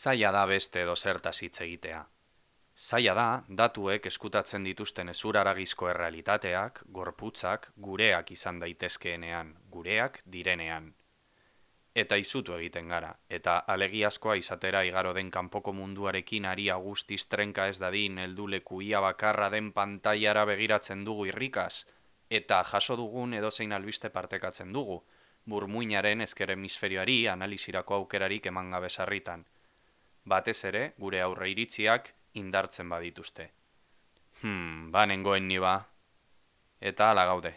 Zaila da beste edo zertaz hitz egitea. Zaila da, datuek eskutatzen dituzten ezuraragizko errealitateak, gorputzak, gureak izan daitezkeenean, gureak direnean. Eta izutu egiten gara, eta alegiazkoa izatera igaro den kanpoko munduarekin aria guztiz trenka ez dadin helduleku ia bakarra den pantailara begiratzen dugu irrikaz, eta jaso dugun edozein albiste partekatzen dugu, burmuinaren ezker hemisferioari analizirako aukerarik eman gabe sarritan. Batez ere, gure aurre iritziak indartzen badituzte. Nengoen ni ba. Eta hala gaude.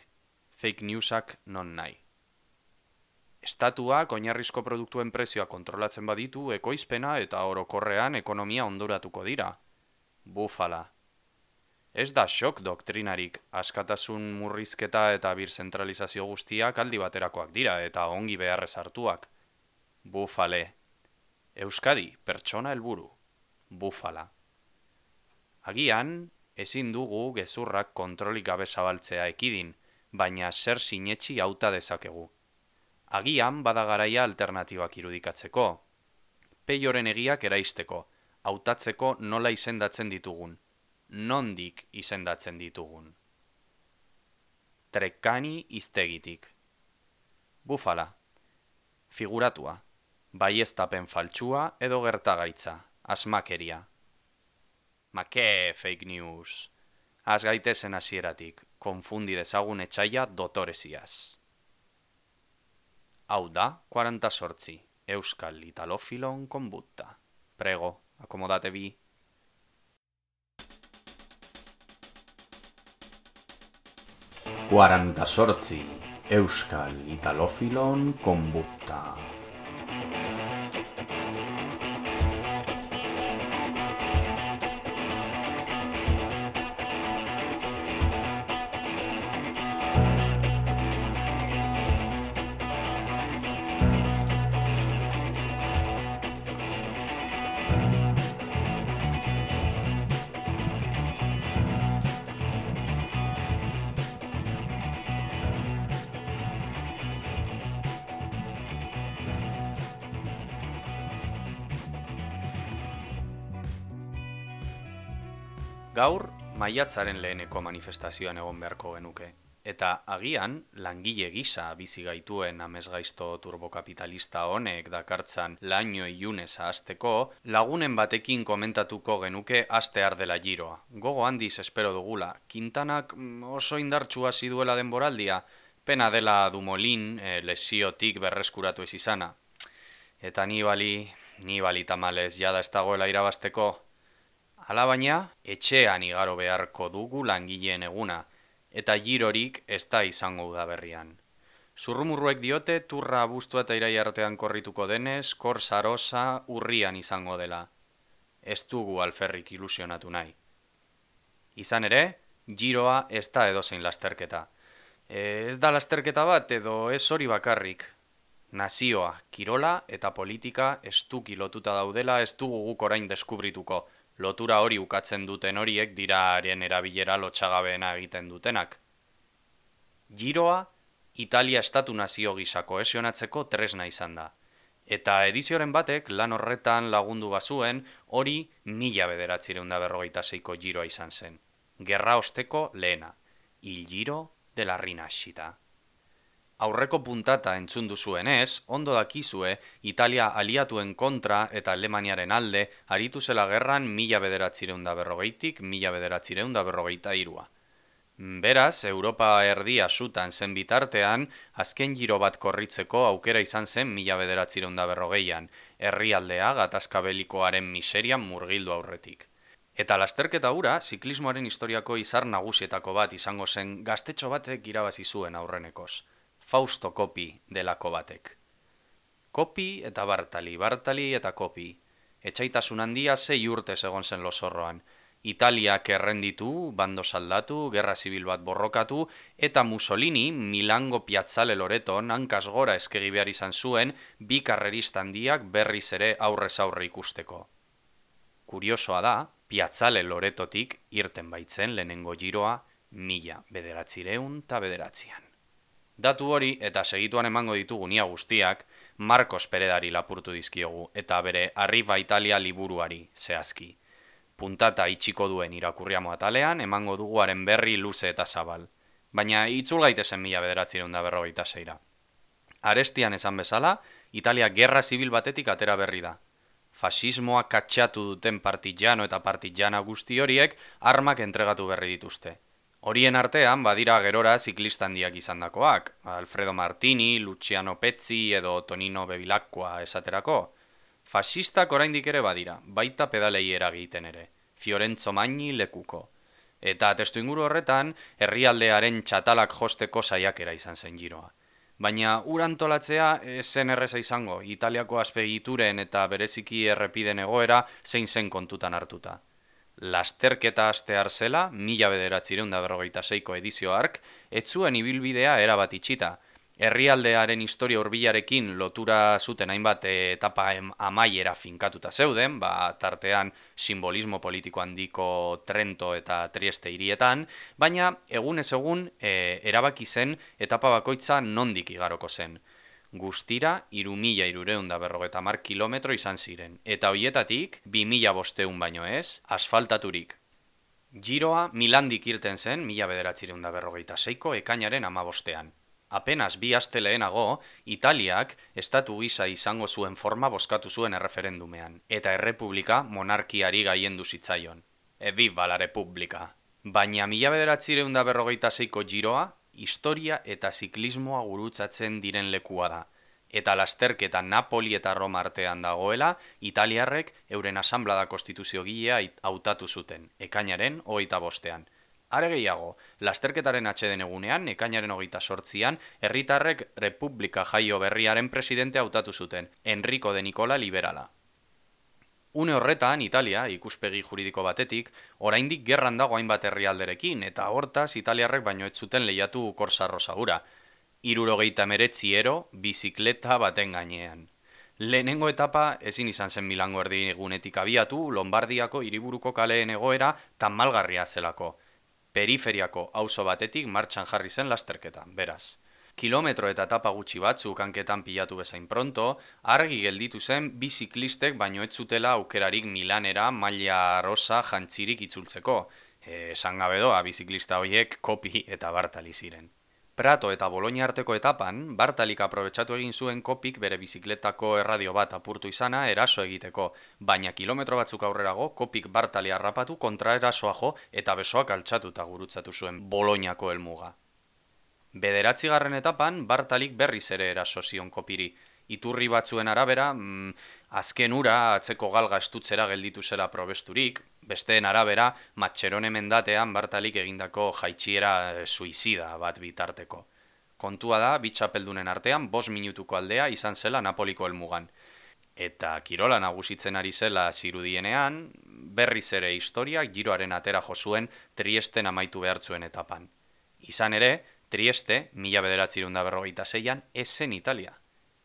Fake newsak non nahi. Estatuak oinarrizko produktuen prezioa kontrolatzen baditu, ekoizpena eta orokorrean ekonomia ondoratuko dira. Bufala. Ez da shock doktrinarik, askatasun murrizketa eta birzentralizazio guztiak aldi baterakoak dira eta ongi beharrez hartuak. Bufale. Euskadi, pertsona helburu. Bufala. Agian, ezin dugu gezurrak kontrolik gabe zabaltzea ekidin, baina zer sinetsi hauta dezakegu. Agian bada garaia alternatibak irudikatzeko. Peioren egiak eraisteko, hautatzeko nola izendatzen ditugun. Nondik izendatzen ditugun. Trekani iztegitik. Bufala. Figuratua. Baieztapen faltsua edo gertagaitza. Asmakeria. Make fake news. Az gaitezen hasieratik, konfundi dezagun etxaia dotoreziaz. Hau da, 48, Euskal Italofilon konbutta. Prego, akomodate bi. Sortzi, Euskal Italofilon konbutta. Gaur, maiatzaren leheneko manifestazioan egon beharko genuke, eta agian langile gisa bizi gaituen amesgaizto turbokapitalista honek dakartzan laino ilunez ahazteko, lagunen batekin komentatuko genuke astear dela giroa. Gogo handiz espero dugula, Quintanak oso indartsu hasi duela denboraldia, pena dela Dumolin lesiotik berreskuratu ez izana. Eta Nibali tamalez jada ez dagoela irabazteko. Alabaina, etxean igaro beharko dugu langileen eguna, eta girorik ez da izango udaberrian. Zurrumurruek diote turra abuztua eta iraia artean korrituko denez, kor sarosa urrian izango dela. Ez dugu alferrik ilusionatu nahi. Izan ere, giroa ez da edozein lasterketa. Ez da lasterketa bat edo ez hori bakarrik. Nazioa, kirola eta politika estuki lotuta daudela ez dugu guk orain deskubrituko. Lotura hori ukatzen duten horiek dira haren erabilera lotxagabeena egiten dutenak. Giroa, Italia estatu nazio gisa kohesionatzeko tresna izan da. Eta edizioren batek lan horretan lagundu bazuen hori 1946ko giroa izan zen. Gerra osteko lehena. Il Giro de la Rinascita. Aurreko puntata entzun duzuenez, ondo dakizue Italia aliatuen kontra eta Alemaniaren alde aritu zela gerran 1940tik 1943. Beraz, Europa erdia sutan zen bitartean, azken giro bat korritzeko aukera izan zen 1940an, herrialdea gatazka belikoaren miserian murgildu aurretik. Eta lasterketa hura, ziklismoaren historiako izar nagusietako bat izango zen gaztetxo batek irabazi zuen aurrenekoz. Fausto Coppi delako batek. Coppi eta Bartali, Bartali eta Coppi. Etxaitasun handia 6 urtez egon zen lozorroan. Italiak errenditu, bando saldatu, gerra zibil bat borrokatu, eta Mussolini Milango Piazzale Loreton hankaz gora eskegi behar izan zuen bi karrerista handiak berriz ere aurrez aurre ikusteko. Kuriosoa da, Piazzale Loretotik irten baitzen lehenengo giroa 1909. Datu hori eta segituan emango ditugu nia guztiak, Marcos Peredari lapurtu dizkiogu, eta bere Arriba Italia liburuari zehazki. Puntata itxiko duen irakurriamo atalean, emango duguaren berri luze eta zabal. Baina itzul gaitezen 1946ra. Arestian esan bezala, Italia gerra zibil batetik atera berri da. Fasismoa katxatu duten partidano eta partidana guzti horiek armak entregatu berri dituzte. Horien artean badira gerora ziklistandiak izandakoak, Alfredo Martini, Luciano Pezzi edo Tonino Bevilacqua esaterako. Fasistak oraindik ere badira, baita pedalei eragiten ere, Fiorenzo Magni lekuko. Eta testuinguru horretan, herrialdearen txatalak josteko saiakera izan zen giroa. Baina urantolatzea zen erreza izango, Italiako azpegituren eta bereziki errepiden egoera zein zen kontutan hartuta. Lasterketa astear zela, 1946ko edizio hark, ez zuen ibilbidea erabat itxita. Herrialdearen historia hurbilarekin lotura zuten hainbat etapa amaiera finkatuta zeuden, tartean simbolismo politiko handiko Trento eta Trieste hirietan, baina egunez egun erabaki zen etapa bakoitza nondik igaroko zen. Guztira 3.350 kilometro izan ziren, eta hoietatik 2.500 baino ez, asfaltaturik. Giroa Milandik irten zen 1946ko ekainaren 15ean. Apenas 2 aste lehenago, Italiak estatu gisa izango zuen forma bozkatu zuen erreferendumean, eta errepublika monarkiari gaiendu zitzaion. Viva la Repubblica! Baina 1946ko giroa, historia eta ziklismoa gurutzatzen diren lekua da, eta lasterketa Napoli eta Roma artean dagoela, italiarrek euren asanblada konstituziogilea hautatu zuten, ekainaren 25ean. Are gehiago, lasterketaren atxeden egunean, ekainaren 28ean, herritarrek Republika Jaio berriaren presidente hautatu zuten, Enrico de Nicola liberala. Une horretan, Italia, ikuspegi juridiko batetik, oraindik gerran dago hainbat herrialderekin, eta hortaz Italiarrek baino ez zuten lehiatu Corsa Rosagura. 79 ero, bizikleta baten gainean. Lehenengo etapa ezin izan zen Milango erdigunetik abiatu, Lombardiako hiriburuko kaleen egoera tamalgarria zelako. Periferiako auzo batetik martxan jarri zen lasterketa, beraz. Kilometro eta etapa gutxi batzuk hanketan pilatu bezain pronto, argi gelditu zen bi ziklistek baino ez zutela aukerarik Milanera maila rosa jantzirik itzultzeko. Esan gabe doa, biziklista horiek Kopi eta Bartali ziren. Prato eta Bologna arteko etapan, Bartalik aprobetxatu egin zuen Kopik bere bizikletako erradio bat apurtu izana eraso egiteko, baina kilometro batzuk aurrerago Kopik Bartali harrapatu kontraerasoa jo eta besoak altxatuta gurutzatu zuen Bolognako helmuga. 9. etapan, Bartalik berriz ere eraso zion Kopiri. Iturri batzuen arabera, azken ura atzeko galga estutzera gelditu zela probesturik, besteen arabera, Matxerone mendatean Bartalik egindako jaitsiera suizida bat bitarteko. Kontua da, bi txapeldunen artean 5 minutuko aldea izan zela Napoliko helmugan. Eta kirola nagusitzen ari zela zirudienean, berriz ere historiak giroaren atera jo zuen Triesten amaitu behartzuen etapan. Izan ere, Trieste, 1946an, ez zen Italia.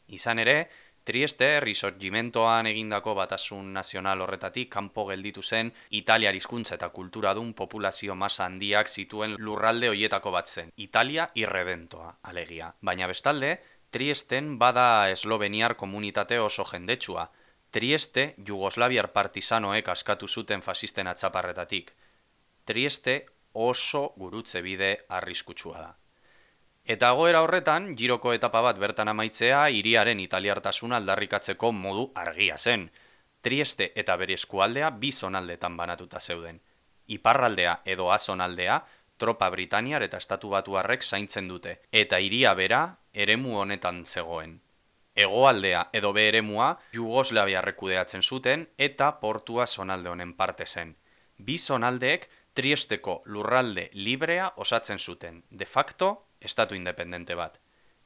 Izan ere, Trieste Risorgimentoan egindako batasun nazional horretatik kanpo gelditu zen Italiar hizkuntza eta kulturadun populazio masa handiak zituen lurralde hoietako bat zen, Italia irredentoa, alegia. Baina bestalde, Triesten bada esloveniar komunitate oso jendetsua. Trieste Jugoslaviar partisanoek askatu zuten fasisten atzaparretatik. Trieste oso gurutze bide arriskutsua da. Eta goera horretan, giroko etapa bat bertan amaitzea hiriaren italiartasuna aldarrikatzeko modu argia zen. Trieste eta bere eskualdea bi zonaldetan banatuta zeuden. Iparraldea edo azonaldea, tropa britaniar eta estatu batuarrek zaintzen dute, eta hiria bera eremu honetan zegoen. Hegoaldea edo be eremua Jugoslaviarrek kudeatzen zuten eta portua zonalde honen parte zen. Bi zonaldeek Triesteko lurralde librea osatzen zuten, de facto, estatu independente bat.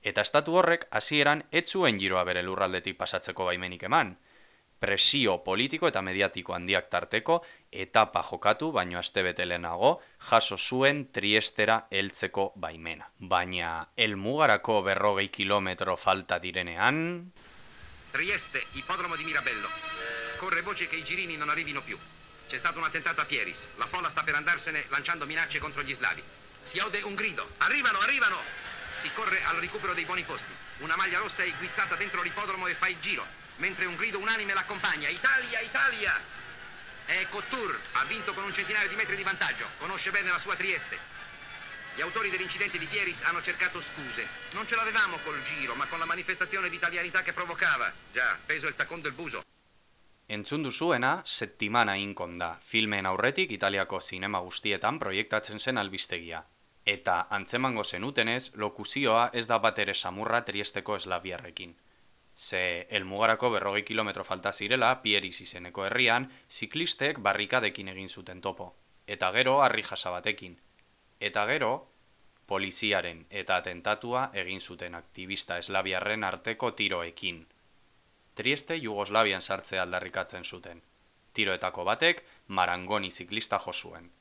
Eta estatu horrek hasieran ez zuen giroa bere lurraldetik pasatzeko baimenik eman. Presio politiko eta mediatiko handiak tarteko etapa jokatu baino astebete lehenago jaso zuen Triestera heltzeko baimena. Baina helmugarako 40 kilometro falta direnean... Trieste, ipodromo di Mirabello. Corre voce che i girini non arrivino più. C'è stato un attentato a Pieris. La folla sta per andarsene lanciando minacce contro gli slavi. Si ode un grido. Arrivano, arrivano! Si corre al recupero dei buoni posti. Una maglia rossa è guizzata dentro l'ippodromo e fa il giro, mentre un grido unanime l'accompagna. Italia, Italia! È Couture, ha vinto con un centinaio di metri di vantaggio, conosce bene la sua Trieste. Gli autori dell'incidente di Pieris hanno cercato scuse. Non ce l'avevamo col giro, ma con la manifestazione di italianità che provocava. Già, peso il tacón del buzo. Entzun duzuena, Settimana Incon da, filmen aurretik Italiako zinema guztietan proiektatzen zen albistegia. Eta, antzemango zenutenez, lokuzioa ez da bat ere samurra Triesteko eslabiarrekin. Ze, helmugarako 40 kilometro falta zirela, Pieris izeneko herrian, ziklistek barrikadekin egin zuten topo. Eta gero, harri jasa batekin. Eta gero, poliziaren eta atentatua egin zuten aktivista eslabiarren arteko tiroekin. Trieste Jugoslavian sartzea aldarrikatzen zuten. Tiroetako batek Marangoni ziklista jo zuen.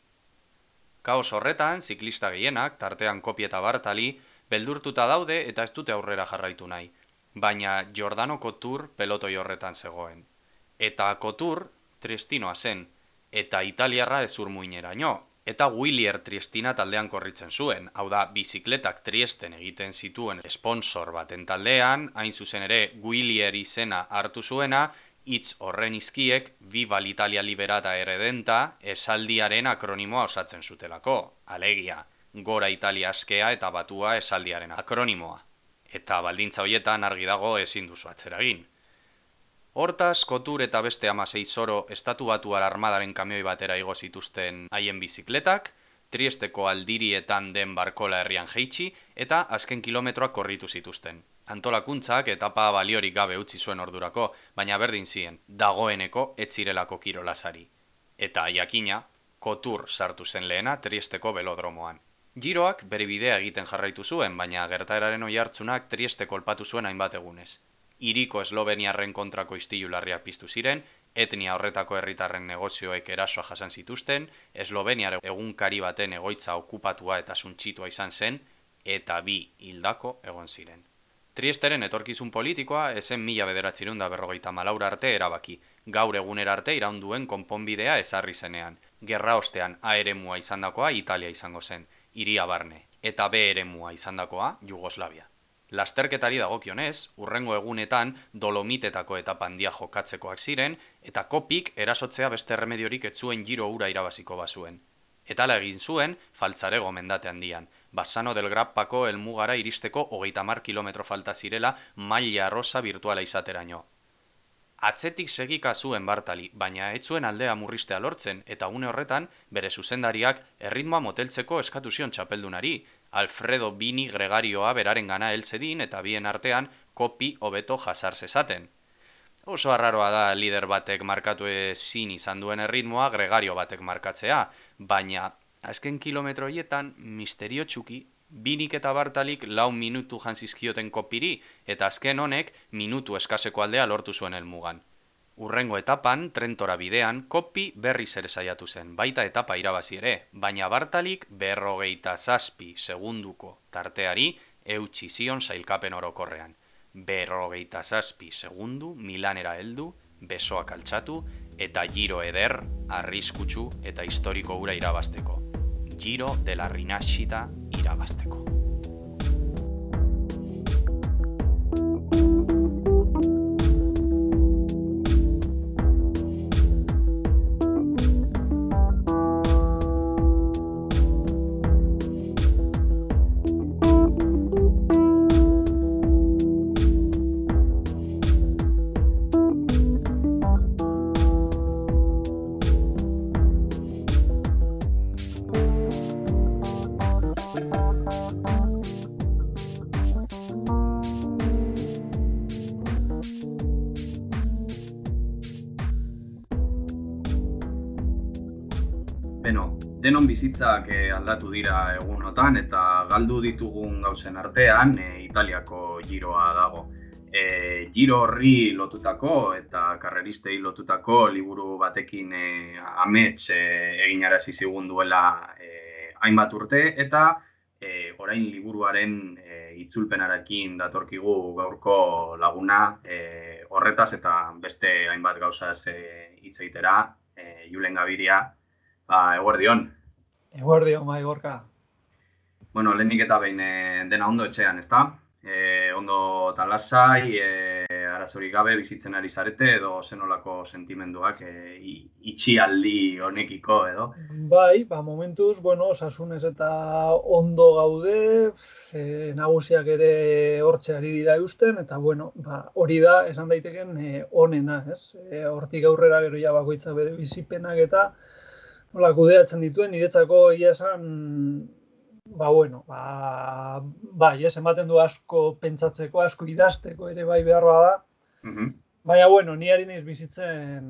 Kaos horretan, ziklista gehienak, tartean Kopi eta Bartali, beldurtuta daude eta ez dute aurrera jarraitu nahi. Baina Giordano Couture pelotoi horretan zegoen. Eta Couture triestinoa zen, eta italiarra ezurmuineraino, eta Willier Triestina taldean korritzen zuen, hau da, bizikletak Triesten egiten zituen sponsor baten taldean, hain zuzen ere Willier izena hartu zuena, hitz horren izkiek Viva l'Italia Liberata Erredenta esaldiaren akronimoa osatzen zutelako, alegia, Gora Italia askea eta batua esaldiaren akronimoa. Eta baldintza hoietan argi dago ezin duzu atzera egin. Hortaz, Couture eta beste 16 zoro estatu batuar armadaren kamioi batera igo zituzten haien bizikletak, Triesteko aldirietan den Barkola herrian jeitsi eta azken kilometroak korritu zituzten. Antolakuntzak etapa baliorik gabe utzi zuen ordurako, baina berdin zien, dagoeneko ez zirelako kirolasari. Eta jakina, Couture sartu zen lehena Triesteko belodromoan. Giroak bere bidea egiten jarraitu zuen, baina gertaeraren oihartzunak Trieste kolpatu zuen hainbat egunez. Hiriko esloveniarren kontrako istilu larriak piztu ziren, etnia horretako herritarren negozioek erasoa jasan zituzten, Esloveniar egunkari baten egoitza okupatua eta suntsitua izan zen, eta 2 hildako egon ziren. Triesteren etorkizun politikoa ezen 1954 arte erabaki, gaur egunera arte iraunduen konponbidea ezarri zenean. Gerra ostean A eremua izandakoa Italia izango zen, hiria barne, eta B eremua izandakoa Jugoslavia. Lasterketari dagokionez, urrengo egunetan Dolomitetako eta pandia jokatzekoak ziren, eta Kopik erasotzea beste erremediorik ez zuen Giro hura irabaziko bazuen. Eta hala egin zuen, Faltzarego mendate handian, Bassano del Grappako helmugara iristeko 30 kilometro falta zirela maila rosa virtuala izateraino. Atzetik segika zuen Bartali, baina ez zuen aldea murristea lortzen, eta une horretan bere zuzendariak erritmoa moteltzeko eskatu zion txapeldunari, Alfredo Bini Gregarioa beraren gana helzedin eta bien artean Kopi hobeto jasar zezaten. Oso arraroa da lider batek markatu ezin izan duen erritmoa Gregario batek markatzea, baina azken kilometro hietan misterio txuki, Binik eta Bartalik 4 minutu jantzizkioten Kopiri, eta azken honek minutu eskaseko aldea lortu zuen helmugan. Urrengo etapan, Trentora bidean, Kopi berriz ere saiatu zen, baita etapa irabazi ere, baina Bartalik 47 segunduko tarteari eutsi zion sailkapen orokorrean. 47 segundu Milanera heldu, besoak altxatu, eta Giro eder, arriskutsu eta historiko hura irabazteko. Giro de la Rinascita irabazteko. Denon bizitzak aldatu dira egunotan eta galdu ditugun gauzen artean Italiako giroa dago. Giro horri lotutako eta karreristei lotutako liburu batekin amets eginarazi zigun duela hainbat urte eta orain liburuaren itzulpenarekin datorkigu gaurko laguna horretaz eta beste hainbat gauzaz hitz egitera, Julen Gabiria. Eguerdion. Eguerdion, bai, Gorka. Bueno, lehenik eta behin dena ondo etxean, ezta? Ondo eta lasai, arazorik gabe bizitzen ari zarete edo zenolako sentimenduak itxialdi honekiko edo? Bai, momentuz, osasunez eta ondo gaude, nagusiak ere hortxe ari dira eusten, eta hori da, esan daiteken onena, ez? Hortik aurrera gero ja bakoitza bere bizipenak eta nola kudeatzen dituen, niretzako egia esan, bai, ematen du asko pentsatzeko, asko idazteko ere bai beharra da, baina, ni ari naiz bizitzen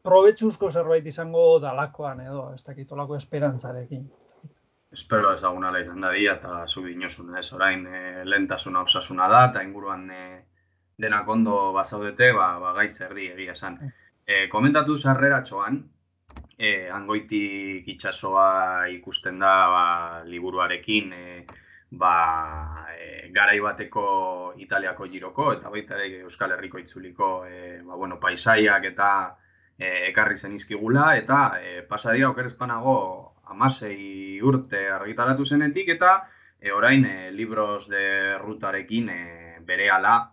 probetxuzko zerbait izango dalakoan edo, ez dakit olako esperantzarekin. Espero ezagunala izan dadia eta zu dinosuna, ez orain lehentasuna osasuna da eta inguruan denak ondo bazaudete, gaitz erdi egia esan. Komentatu sarreratxoan, hangoitik itsasoa ikusten da liburuarekin, garai bateko Italiako giroko eta baita ere Euskal Herriko itzuliko paisaiak eta ekarri zenizkigula, eta pasadira oker ez banago 16 urte argitaratu zenetik, eta orain Libros de Rutarekin berehala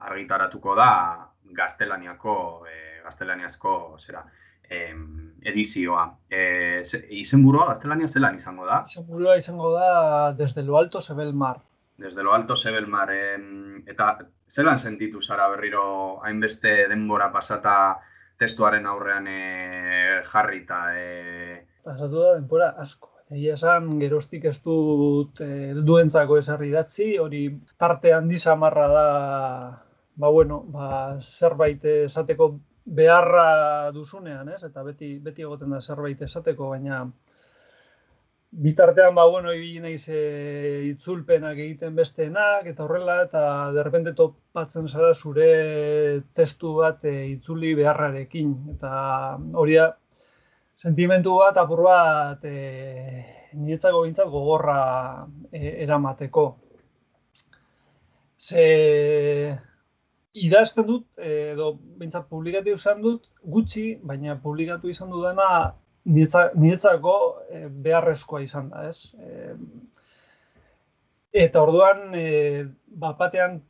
argitaratuko da gaztelaniazko edizioa. Izenburua gaztelania zelan izango da? Izenburua izango da Desde lo Alto se ve el mar. Desde lo Alto se ve el mar. Eta zelan sentitu zara berriro hainbeste denbora pasata testuaren aurrean jarrita? Pasatu da denbora asko. Egia esan, geroztik ez dut helduentzako ezarri idatzi, hori tarte handi samarra da, zerbait esateko beharra duzunean, ez? Eta beti egoten da zerbait esateko, baina bitartean, ibili naiz itzulpenak egiten besteenak, eta horrela, eta derrepente topatzen zara zure testu bat itzuli beharrarekin. Eta hori da, sentimentu bat, apur bat, niretzako bintzat gogorra eramateko. Idazten dut, edo bintzat publikatu izan dut, gutxi, baina publikatu izan dudana niretzako beharrezkoa izan da, ez? Eta orduan, batean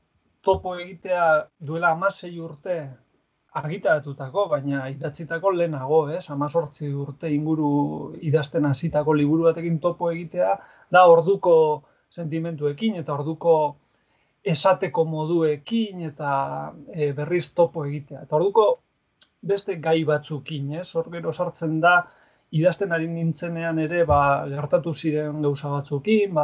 topo egitea duela 16 urte argitaratutako, baina idatzitako lehenago, ez? 18 urte inguru idazten hasitako liburu batekin topo egitea, da orduko sentimentuekin eta orduko esateko moduekin eta berriz topo egitea. Eta orduko beste gai batzukin, ez? Hor gero sartzen da, idazten ari nintzenean ere gertatu ziren gauza batzukin,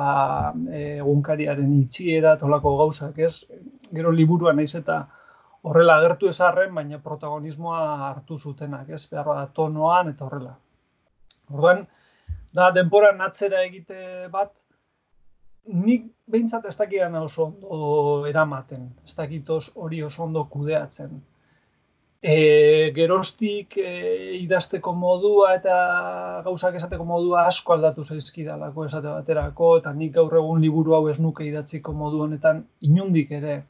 egunkariaren itxiera eta holako gauzak, ez? Gero liburuan naiz eta horrela agertu ez arren, baina protagonismoa hartu zutenak, ez? Behar tonoan eta horrela. Orduan, da denboran atzera egite bat, nik behintzat ez dakidan oso ondo eramaten, ez dakitoz hori oso ondo kudeatzen. Geroztik idazteko modua eta gauzak esateko modua asko aldatu zaizkidalako esate baterako, eta nik gaur egun liburu hau ez nuke idatziko modu honetan inundik ere.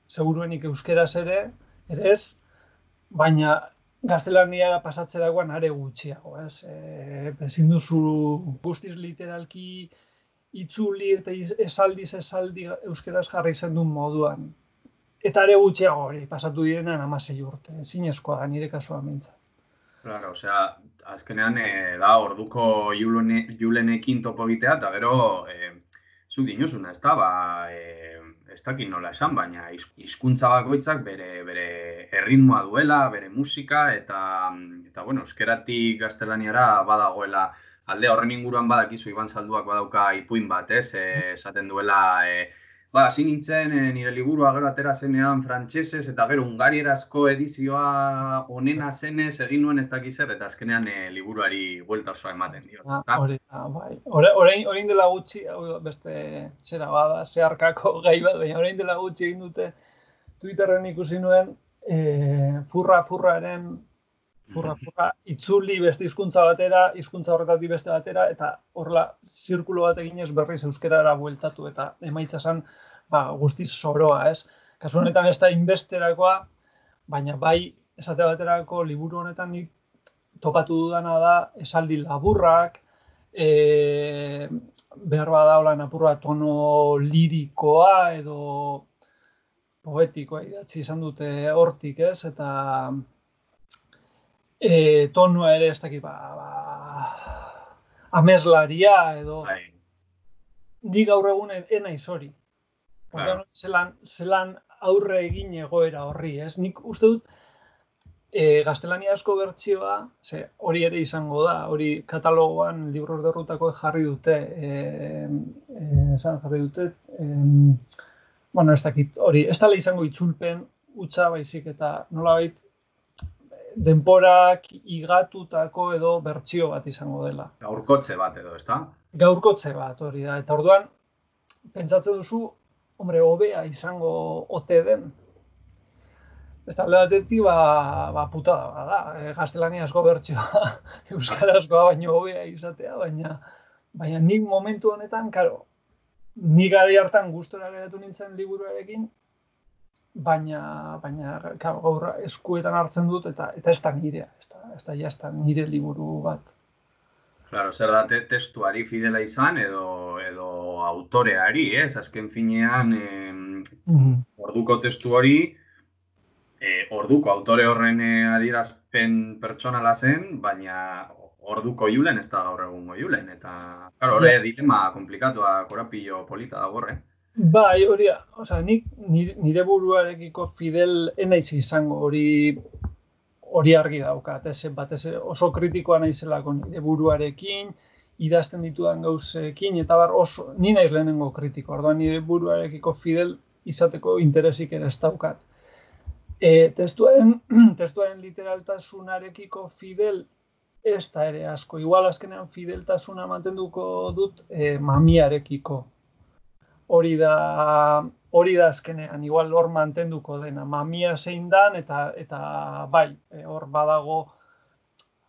Seguruenik euskeraz ere ez, baina gaztelania pasatzerakoan are gutxiago, ez? Ezin duzu guztiz literalki itzuli eta esaldi euskeraz jarri zendun moduan. Eta are gutxiago hori pasatu direnean 16 urte, zinezkoa da nire kasuan behintzat. Claro, azkenean da orduko julenekin topo egitea, eta gero zuk dinuzuna, ez da, ez dakit nola esan, baina hizkuntza bakoitzak bere erritmoa duela, bere musika, eta euskeratik gaztelaniara badagoela alde horren inguruan badakizu Iban Zalduak badauka ipuin bat, ez? Esaten duela, hasi nintzen nire liburua gero atera zenean frantsesez eta gero hungarierazko edizioa onena zenez egin nuen ez dakiz zer, eta azkenean liburuari buelta osoa ematen dio. Orain dela gutxi, beste zera bada, zeharkako gai bat, baina orain dela gutxi egin dute Twitterren ikusi nuen furra itzuli beste hizkuntza batera, hizkuntza horretatik beste batera, eta horrela zirkulo bat eginez berriz euskarara bueltatu, eta emaitza zen guztiz zoroa, ez? Kasu honetan ez da inbesterakoa, baina bai esate baterako liburu honetan topatu dudana da esaldi laburrak, behar bada holan apur bat tono lirikoa edo poetikoa idatzi izan dute hortik, ez? Eta tonua ere ez dakit, ameslaria edo ni gaur egun naiz hori. Orduan, zelan aurre egin egoera horri, ez? Nik uste dut gaztelaniazko bertsioa, hori ere izango da, hori katalogoan libros de rutako jarri dute, bueno, ez dakit, hori, ez dela izango itzulpen utza baizik eta nolabait denporak igatutako edo bertsio bat izango dela. Gaurkotze bat edo, ezta? Gaurkotze bat, hori da. Eta orduan, pentsatzen duzu, hombre, hobea izango ote den. Ez da, alde batetik, putada bada. Gaztelaniazko bertsioa, euskarazkoa baino hobea izatea, baina nik momentu honetan, karo, nik gari hartan gustora geratu nintzen liburuarekin, baina gaur eskuetan hartzen dut eta ez da nirea, ez da nire liburu bat. Claro, zer da testuari fidela izan edo autoreari, ez? Azken finean, orduko testu hori, orduko autore horren adierazpen pertsonala zen, baina orduko Julen ez da gaur egungo Julen, eta horre dilema komplikatua, korapillo polita da gorre. Bai, hori, nik nire buruarekiko fidel enaiz izango hori argi daukat, batez oso kritikoa naizelako nire buruarekin, idazten ditudan gauzekin, eta oso, ni naiz lehenengo kritiko, orduan nire buruarekiko fidel izateko interesik ere ez daukat. Testuaren literaltasunarekiko fidel ez da ere asko, igual azkenean fideltasuna mantenduko dut mamiarekiko. Hori da azkenean, igual hor mantenduko dena, mamia zein dan, eta bai, hor badago,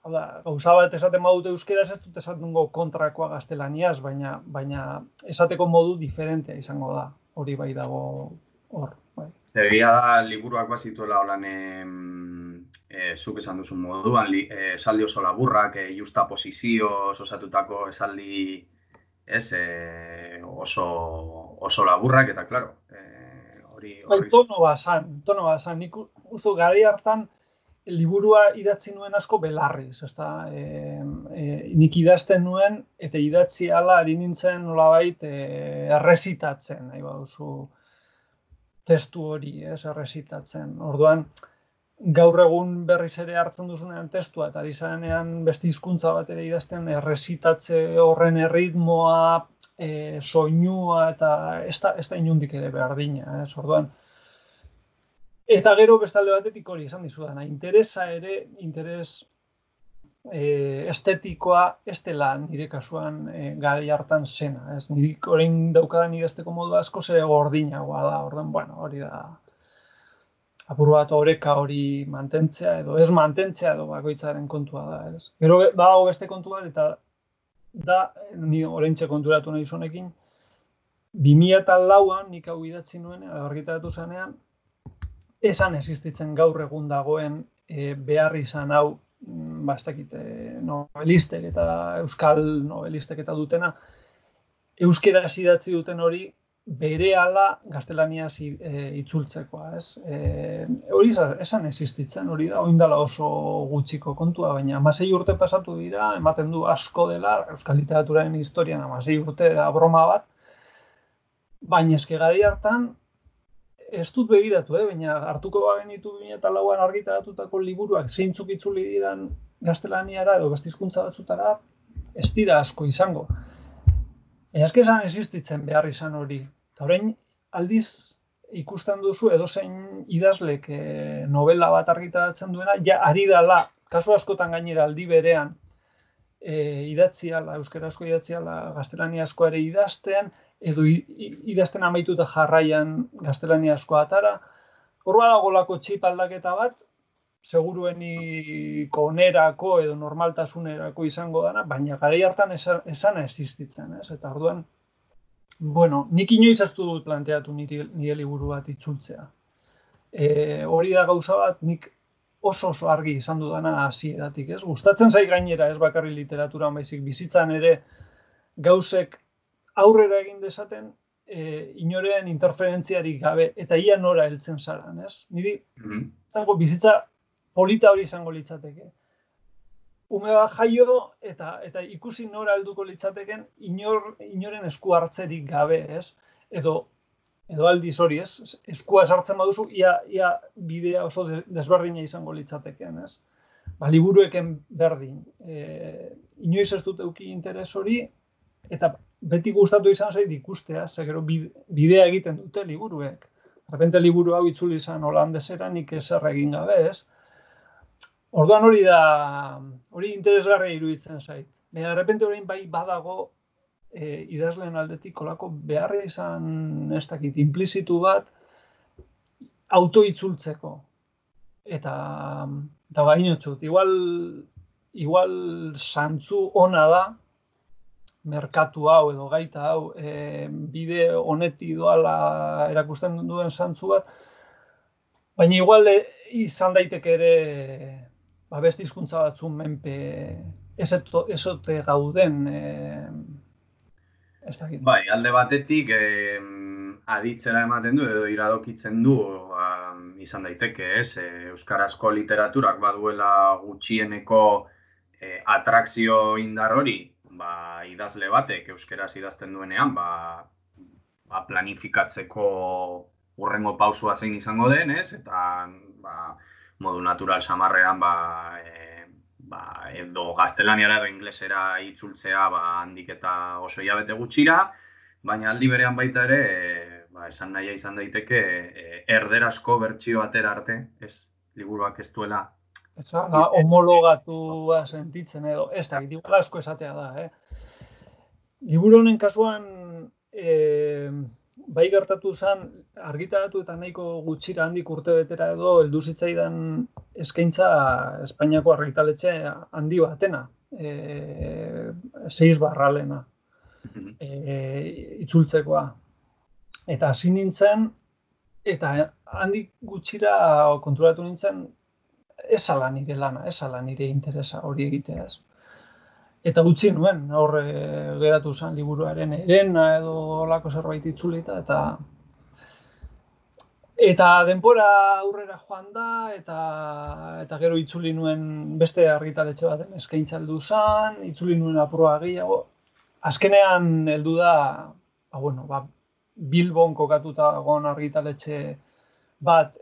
gauza bat esaten badute euskeraz, ez dut esatungo kontrakoa gaztelaniaz, baina esateko modu diferentea izango da, hori bai dago hor. Egia da, liburuak bazituela holan, zuk esan duzun moduan, esaldi oso laburrak, justa posizioz osatutako esaldi, oso laburrak, eta, klaro, hori... Tono bazan, nik uste garai hartan liburua idatzi nuen asko belarriz, ezta, nik idazten nuen, eta idatzi ala ari nintzen nolabait errezitatzen, nahi baduzu testu hori, errezitatzen. Orduan, gaur egun berriz ere hartzen duzunean testua, eta ari zarenean beste hizkuntza bat ere idazten errezitatze horren erritmoa, soinua, eta ez da inundik ere berdina, orduan. Eta gero bestalde batetik hori esan dizudana, interes estetikoa ez dela nire kasuan garai hartan zena, nirik orain daukadan idazteko modu asko ere gordinagoa da, orduan, bueno, hori da apur bat oreka hori mantentzea edo ez mantentzea edo bakoitzaren kontua da, ez. Gero badago beste kontua eta da, ni oraintxe konturatu nahi zonekin, 2004an nik hau idatzi nuen, argitaratu zanean, esan existitzen gaur egun dagoen behar izan hau, ez dakit, novelistek eta euskal novelistek eta dutena, euskeraz idatzi duten hori, berehala gaztelaniaz itzultzekoa, ez? Hori esan existitzen, hori da, oindala oso gutxiko kontua, baina 16 urte pasatu dira, ematen du asko dela, euskal literaturaren historian 16 urte da broma bat, baina eske garai hartan, ez dut begiratu, baina hartuko bagenitu 2004an argitaratutako liburuak zeintzuk itzuli diran gaztelaniara edo beste hizkuntza batzutara, ez dira asko izango. Eske esan existitzen behar izan hori. Eta orain aldiz ikusten duzu edozein idazlek novela bat argitaratzen duena, ja ari dala, kasu askotan gainera aldi berean, euskarazko idatziala gaztelaniazko ere idazten, edo idazten amaituta jarraian gaztelaniazko atara. Hor badagolako txip aldaketa bat, segurueniko onerako edo normaltasunerako izango dana, baina garai hartan esana existitzen, ez? Eta orduan, bueno, nik inoiz ez dut planteatu nire liburu bat itzultzea. Hori da gauza bat, nik oso argi izan dudana hasieratik, ez? Gustatzen zait gainera, ez bakarri literaturan baizik bizitzan ere gauzek aurrera egin dezaten inoren interferentziarik gabe eta ia nora heltzen zaran, ez? Niri zango bizitza polita hori izango litzateke. Ume bat jaio eta ikusi nora helduko litzateken inoren esku hartzerik gabe, ez? Edo aldiz hori, ez? Eskua sartzen baduzu, ia bidea oso desberdina izango litzateken, ez? Liburueken berdin. Inoiz ez dut eduki interes hori, eta beti gustatu izan zait ikustea, ze gero bidea egiten dute liburuek. Repente liburu hau itzuli izan holandesera, nik ezer egin gabe, ez? Orduan hori interesgarria iruditzen zait. Baina, repente orain bai badago idazleen aldetik olako beharra izan ez dakit implizitu bat autoitzultzeko. Eta bainotzut, igual zantzu ona da, merkatu hau edo gaita hau bide honeti doala erakusten duen zantzu bat, baina igual izan daiteke ere beste hizkuntza batzun menpe ezote gauden ez dakit. Bai, alde batetik aditzera ematen du edo iradokitzen du izan daiteke, ez? Euskarazko literaturak baduela gutxieneko atrakzio indar hori, idazle batek euskeraz idazten duenean, planifikatzeko hurrengo pausua zein izango den, ez? Eta modu natural samarrean edo gaztelaniara edo inglesera itzultzea handik eta oso hilabete gutxira, baina aldi berean baita ere, esan nahia izan daiteke erderazko bertsio atera arte, ez? Liburuak ez duela. Homologatua sentitzen edo, ez da, igual asko esatea da, Liburu honen kasuan, bai gertatu zen, argitaratu eta nahiko gutxira handik urtebetera edo heldu zitzaidan eskaintza Espainiako argitaletxe handi batena, 6/lena, itzultzekoa. Eta hasi nintzen, eta handik gutxira konturatu nintzen, ez ala nire lana, ez ala nire interesa hori egitea, ez. Eta utzi nuen, hor geratu zen liburuaren herena edo olako zerbait itzulita, eta denbora aurrera joan da, eta gero itzuli nuen beste argitaletxe baten eskaintza heldu zen, itzuli nuen apurua gehiago. Azkenean heldu da, Bilbon kokatuta gon argitaletxe bat,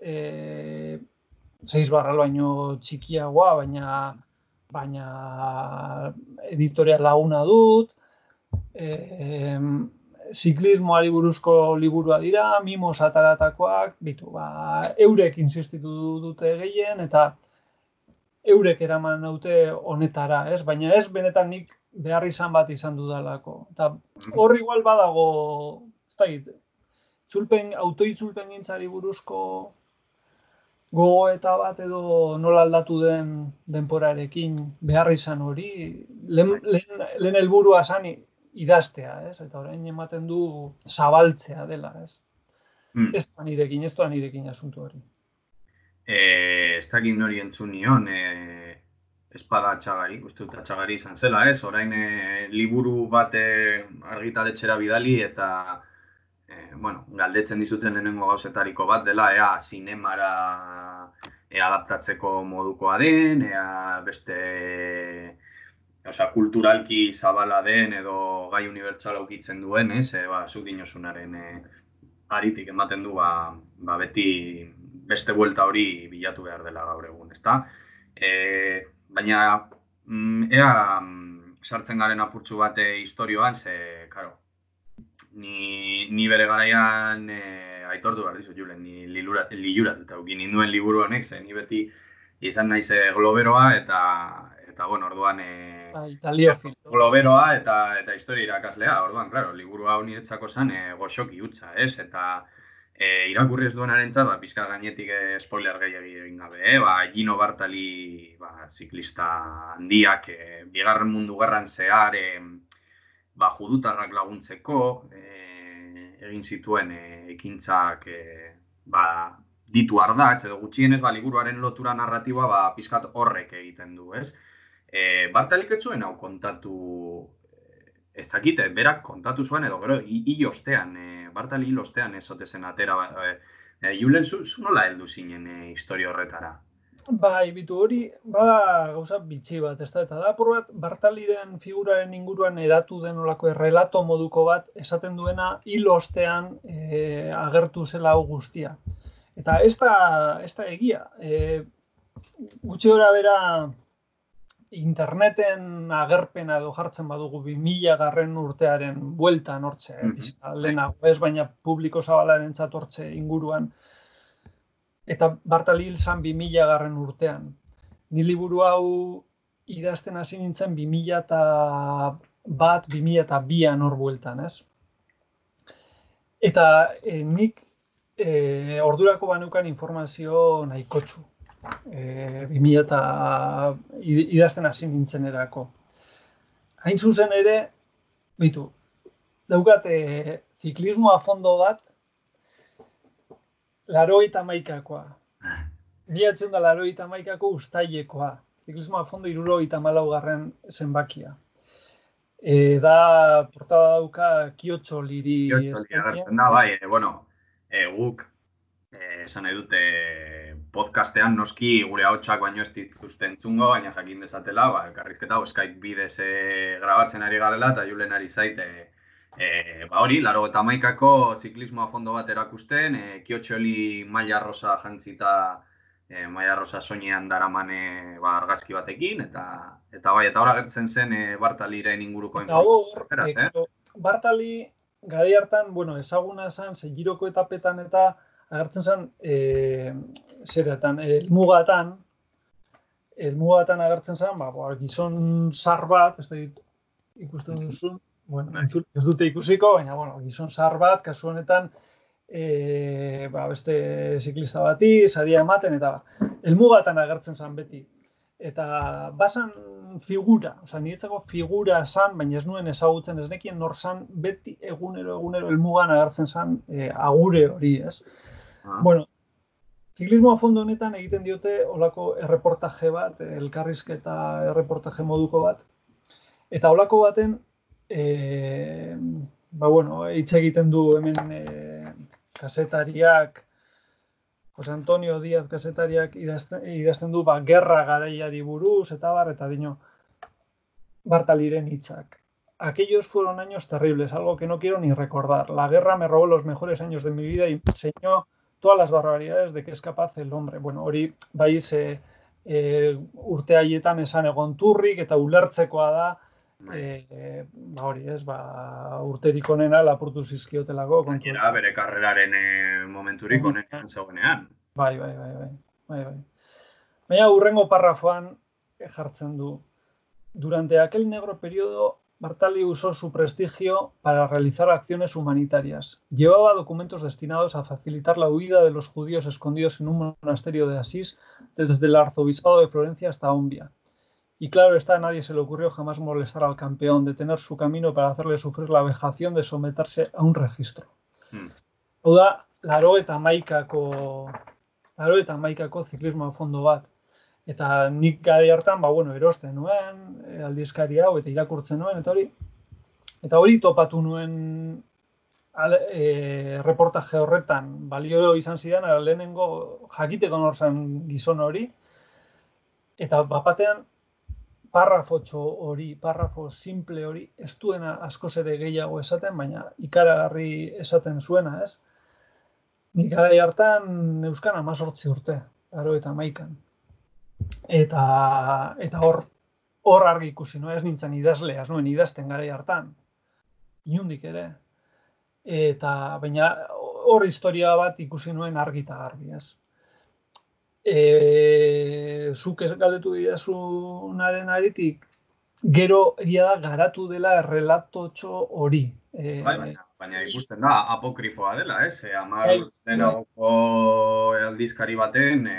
6 baino txikiagoa, baina editoria laguna dut, ziklismoari buruzko liburua dira, mimos ataratakoak, eurek insistitu dute gehien, eta eurek eraman naute honetara, ez? Baina ez benetan nik behar izan bat izan dudalako. Eta hor igual badago, ez dakit, autoitzulpen gintzari buruzko gogoeta bat edo nola aldatu den denporarekin behar izan hori, lehen helburua zen idaztea, ez? Eta orain ematen du zabaltzea dela, ez? Ez da nirekin asuntu hori. Ez dakit nori entzun nion, espada Txagari, uste dut Txagari izan zela, ez? Orain liburu bat argitaletxera bidali eta galdetzen dizuten lehenengo gauzetariko bat dela, zinemara adaptatzeko modukoa den, beste kulturalki zabala den edo gai unibertsala ukitzen duen, ez? Zuk dinosunaren aritik ematen du, beti beste buelta hori bilatu behar dela gaur egun, ezta? Baina, sartzen garen apurtxu bat historioan, ze, karo, ni bere garaian aitortu behar dizut, Julen, ni liluratuta ukin ninduen liburu honek, ze ni beti izan naiz globeroa eta orduan globeroa eta historia irakaslea, orduan, klaro, liburu hau niretzako zen goxoki hutsa, ez? Eta irakurri ez duenarentzat, pizka gainetik spoiler gehiagi egin gabe, Gino Bartali ziklista handiak, Bigarren Mundu Gerran zehar, judutarrak laguntzeko egin zituen ekintzak ditu ardatz, edo gutxienez liburuaren lotura narratiba pizkat horrek egiten du, ez? Bartalik ez zuen hau kontatu, ez dakite, berak kontatu zuen edo gero hil ostean, Bartali hil ostean ez ote zen atera, Julen, zu nola heldu zinen historia horretara? Bai, bitu hori, bada gauza bitxi bat, ez da, eta da apur bat, Bartaliren figuraren inguruan eratu den olako errelato moduko bat, esaten duena hil ostean agertu zela hau guztia. Eta ez da egia. Gutxi gora bera interneten agerpena edo jartzen badugu 2000 urtearen bueltan hortze, lehenago ez, baina publiko zabalaren hortze inguruan. Eta Bartali hil zan 2000 urtean. Ni liburu hau idazten hasi nintzen 2001-2002an hor bueltan, ez? Eta nik ordurako banukan informazio nahikotxu. 2000 idazten hasi nintzen erako. Hain zuzen ere, daukat ziklismo a fondo bat, 81koa. 1981ko ustailekoa. Ziklismo a fondo 74 zenbakia. Da, portada dauka Kiotxoliri. Agertzen da, bai, guk, esan nahi dute, podcastean noski gure ahotsak baino ez dituzte entzungo, baina jakin dezatela, elkarrizketa Skype bidez grabatzen ari garela, eta Julen ari zaite, hori, 81ko ziklismo a fondo bat erakusten, Kiotxoli maila rosa jantzita, maila rosa soinean daramane argazki batekin, eta hor agertzen zen Bartaliren inguruko informazioa. Bartali, garai hartan, ezaguna zen, Giroko etapetan eta agertzen zen, elmugatan agertzen zen, gizon zar bat, ez da ikusten duzun, ez dute ikusiko, baina, gizon zar bat, kasu honetan, beste ziklista bati, saria ematen, eta elmugatan agertzen zen beti. Eta bazan figura, niretzako figura zan, baina ez nuen ezagutzen, ez nekien nor zan, beti egunero elmugan agertzen zan agure hori, ez? Ziklismo a fondo honetan egiten diote olako erreportaje bat, elkarrizketa erreportaje moduko bat. Eta olako baten, hitz egiten du hemen kazetariak, Jose Antonio Díaz kazetariak idazten du gerra garaiari buruz, eta dino Bartaliren hitzak. Aquellos fueron años terribles, algo que no quiero ni recordar. La guerra me robó los mejores años de mi vida y me enseñó todas las barbaridades de que es capaz el hombre. Hori baiz urte haietan esan egon turrik eta ulertzekoa da, hori ez, urterik onena lapurtu zizkiotelako. Gainera bere karreraren momenturik onenean zegoenean. Bai. Baina hurrengo parrafoan jartzen du. Durante aquel negro periodo, Bartali usó su prestigio para realizar acciones humanitarias. Llevaba documentos destinados a facilitar la huida de los judíos escondidos en un monasterio de Asís, desde el arzobispado de Florencia hasta Ombia. Y claro está, a nadie se le ocurrió jamás molestar al campeón, detener su camino para hacerle sufrir la vejación de someterse a un registro. Hau da, 81ko ziklismo a fondo bat. Eta nik garai hartan, erosten nuen, aldizkari hau, eta irakurtzen nuen, eta hori topatu nuen reportaje horretan, balio izan zidan, lehenengo jakiteko nor zen gizon hori, eta bapatean parrafo simple hori, ez duena askoz ere gehiago esaten, baina ikaragarri esaten zuena, ez? Nik garai hartan euskan 18 urte, 81an. Eta hor argi ikusi, ez nintzen idazlea, ez nuen idazten garai hartan, inundik ere. Baina hor historia bat ikusi nuen argi eta garbi, ez. Zuk galdetu didazunaren aritik, gero egia da garatu dela errelatotxo hori. Baina ikusten da, apokrifoa dela, ez? 10 urtenagoko aldizkari baten,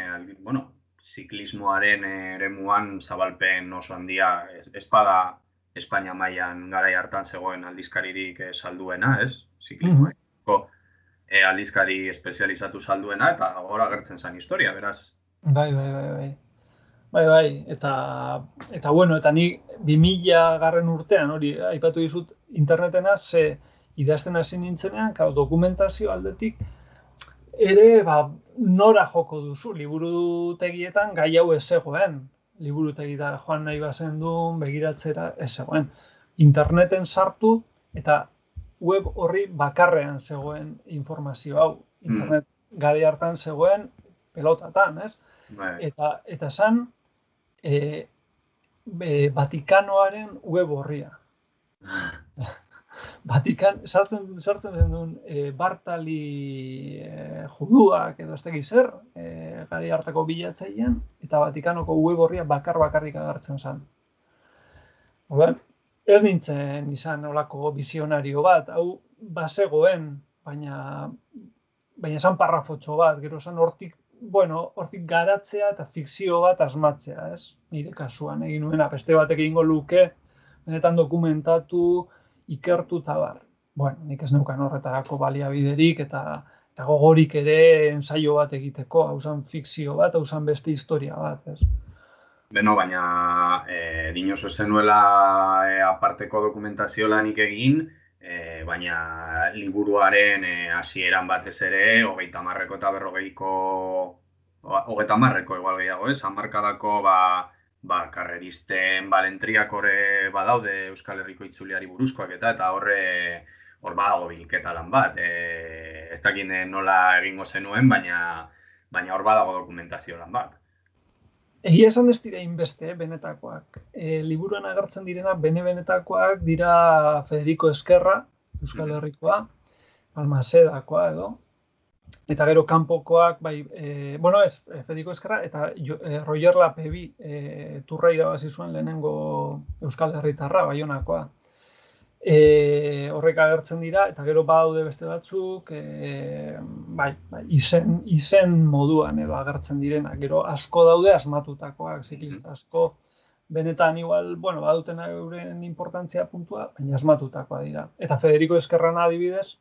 ziklismoaren eremuan zabalpen oso handia, espada Espainia mailan garai hartan zegoen aldizkaririk salduena, ez? Ziklismoa. aldizkari espezializatu salduena, eta gora agertzen zen historia, beraz. Bai. Eta bueno, eta ni 2000 garren urtean, hori, aipatu dizut internetena, ze idazten hasi nintzenean, dokumentazio aldetik, ere, nora joko duzu, liburutegietan gai hau ez zegoen. Liburutegietara joan nahi bazen duen, begiratzera ez zegoen. Interneten sartu eta web horri bakarrean zegoen informazio hau. Internet gari hartan zegoen pelotatan, ez? Eta zan Vatikanoaren web horria. Sartzen den duen Bartali juduak edo ez teki zer, gari hartako bilatzailean, eta Vatikanoko web horria bakarrik agertzen zen. Orduan, ez nintzen izan olako bizionario bat, hau bazegoen, baina esan parrafotxo bat, gero esan hortik garatzea eta fikzio bat asmatzea, ez? Nire kasuan egin nuena, beste batek egingo luke, benetan dokumentatu, ikertu eta bar. Bueno, nik ez neukan horretarako baliabiderik eta gogorik ere ensaio bat egiteko, hau zen fikzio bat, hau zen beste historia bat, ez? Beno, baina dinosu zenuela aparteko dokumentazio lanik egin, baina liburuaren hasieran batez ere, 30ko eta 40ko, 30ko igual gehiago, hamarkadako karreristen balentriak horre badaude Euskal Herriko itzuliari buruzkoak eta hor badago bilketa lan bat. Ez dakit nola egingo zenuen, baina hor badago dokumentazio lan bat. Egia esan ez dira inbeste, benetakoak. Liburuan agertzen direna, benetakoak dira Federico Ezquerra, Euskal Herrikoa, Balmasedakoa edo. Eta gero kanpokoak, Federico Ezquerra eta Roger Lapebi turra irabazi zuen lehenengo Euskal Herritarra, Baionakoa. Horrek agertzen dira, eta gero badaude beste batzuk, izen moduan edo agertzen direnak. Gero asko daude asmatutakoak, ziklista asko, benetan igual, baduten euren importantzia puntua, baina asmatutakoa dira. Eta Federico Ezquerran adibidez,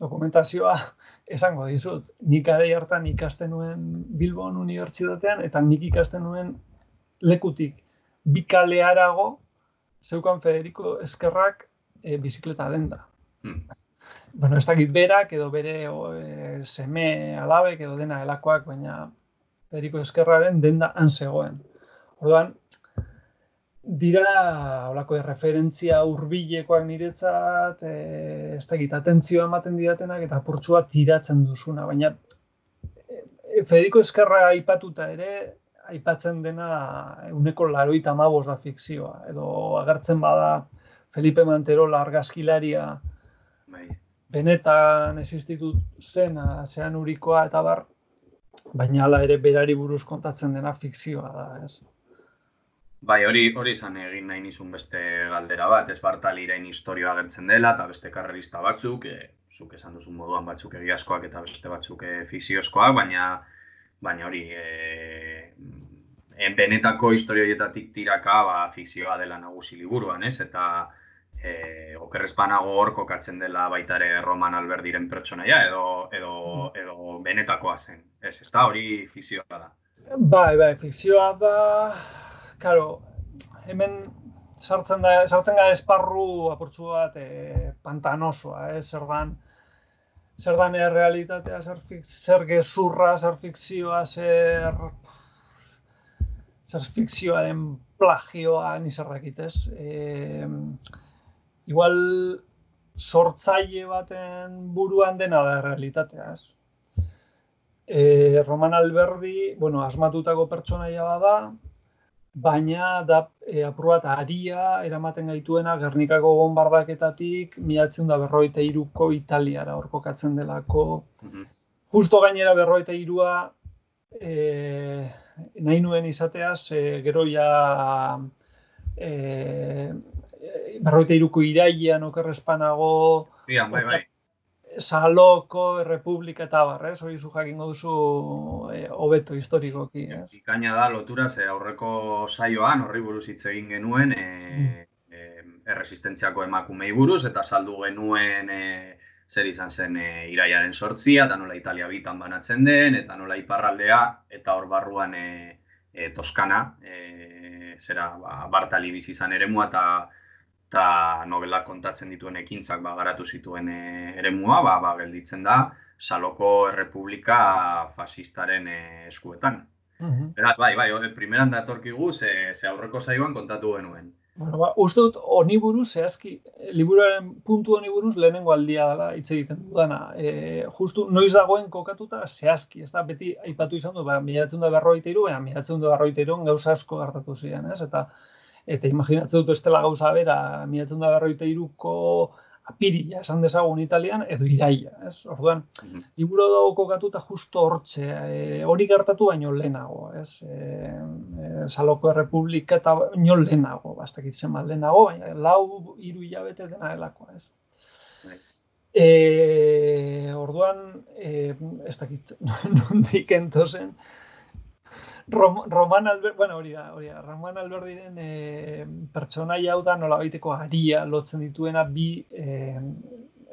dokumentazioa esango dizut. Nik garai hartan ikasten nuen Bilbon Unibertsitatean, eta nik ikasten nuen lekutik bi kale harago zeukan Federico Ezquerrak bizikleta denda. Ez dakit berak edo bere seme alabek edo dena helakoak, baina Federico Ezquerraren denda han zegoen. Orduan, dira holako referentzia hurbilekoak niretzat, ez dakit, atentzioa ematen didatenak eta apurtxua tiratzen duzuna, baina Federico Ezquerra aipatuta ere, aipatzen dena 85% da fikzioa, edo agertzen bada Felipe Manterola argazkilaria benetan existitu zen zean urikoa eta bar, baina hala ere berari buruz kontatzen dena fikzioa da, ez? Bai, hori izan egin nahi nizun beste galdera bat, ez Bartaliren historioa agertzen dela eta beste karrerista batzuk, zuk esan duzun moduan batzuk egiazkoak eta beste batzuk fikziozkoak, baina hori benetako historioietatik tiraka fikzioa dela nagusi liburuan, ez? Eta okerrezpanago hor kokatzen dela baita ere Roman Alberdiren pertsonaia edo benetakoa zen, ez da, hori fikzioa da. Bai, fikzioa da, karo, hemen sartzen gara esparru apurtzu bat pantanosoa, zer dan errealitatea, zer gezurra, zer fikzioa, zer fikzioaren plagioa nizarrakit, ez? Igual sortzaile baten buruan dena da errealitatea, ez? Roman Alberdi, asmatutako pertsonaia bada, baina da apur bat aria eramaten gaituena Gernikako bonbardaketatik 1943ko Italiara hor kokatzen delako. Justo gainera 43a nahi nuen izateaz, gero ja 43ko irailean okerrezpanago Bai. Saloko, Errepublika eta bar, hori zu jakingo duzu hobeto historikoki, ez? Ikaina da lotura, ze aurreko saioan horri buruz hitz egin genuen erresistentziako emakumei buruz, eta saldu genuen zer izan zen irailaren 8, eta nola Italia bitan banatzen den, eta nola iparraldea, eta hor barruan Toskana, Bartali bizi izan eremua, eta novelak kontatzen dituen ekintzak garatu zituen eremua, gelditzen da Saloko Errepublika fasistaren eskuetan. Beraz, bai, primeran datorkigu, ze aurreko saioan kontatu genuen. Bueno, uste dut, honi buruz, zehazki, liburuaren puntu honi buruz lehenengo aldia dela hitz egiten dudana. Justu, noiz dagoen kokatuta zehazki, ez da, beti aipatu izan du, 1943, baina 1943 gauza asko gertatu ziren, ez? Eta imaginatzen dut ez dela gauza bera, 1943ko apirila esan dezagun Italian, edo iraila, ez? Orduan, liburu dago kokatuta justo hortxe, hori gertatu baino lehenago, ez? Saloko Errepublika eta baino lehenago, bastakit zenbat lehenago, baina 4-3 hilabete dena delakoa, ez? Orduan, ez dakit nondik entozen, Roman Alberdiren pertsonaia hau da nolabaiteko haria lotzen dituena bi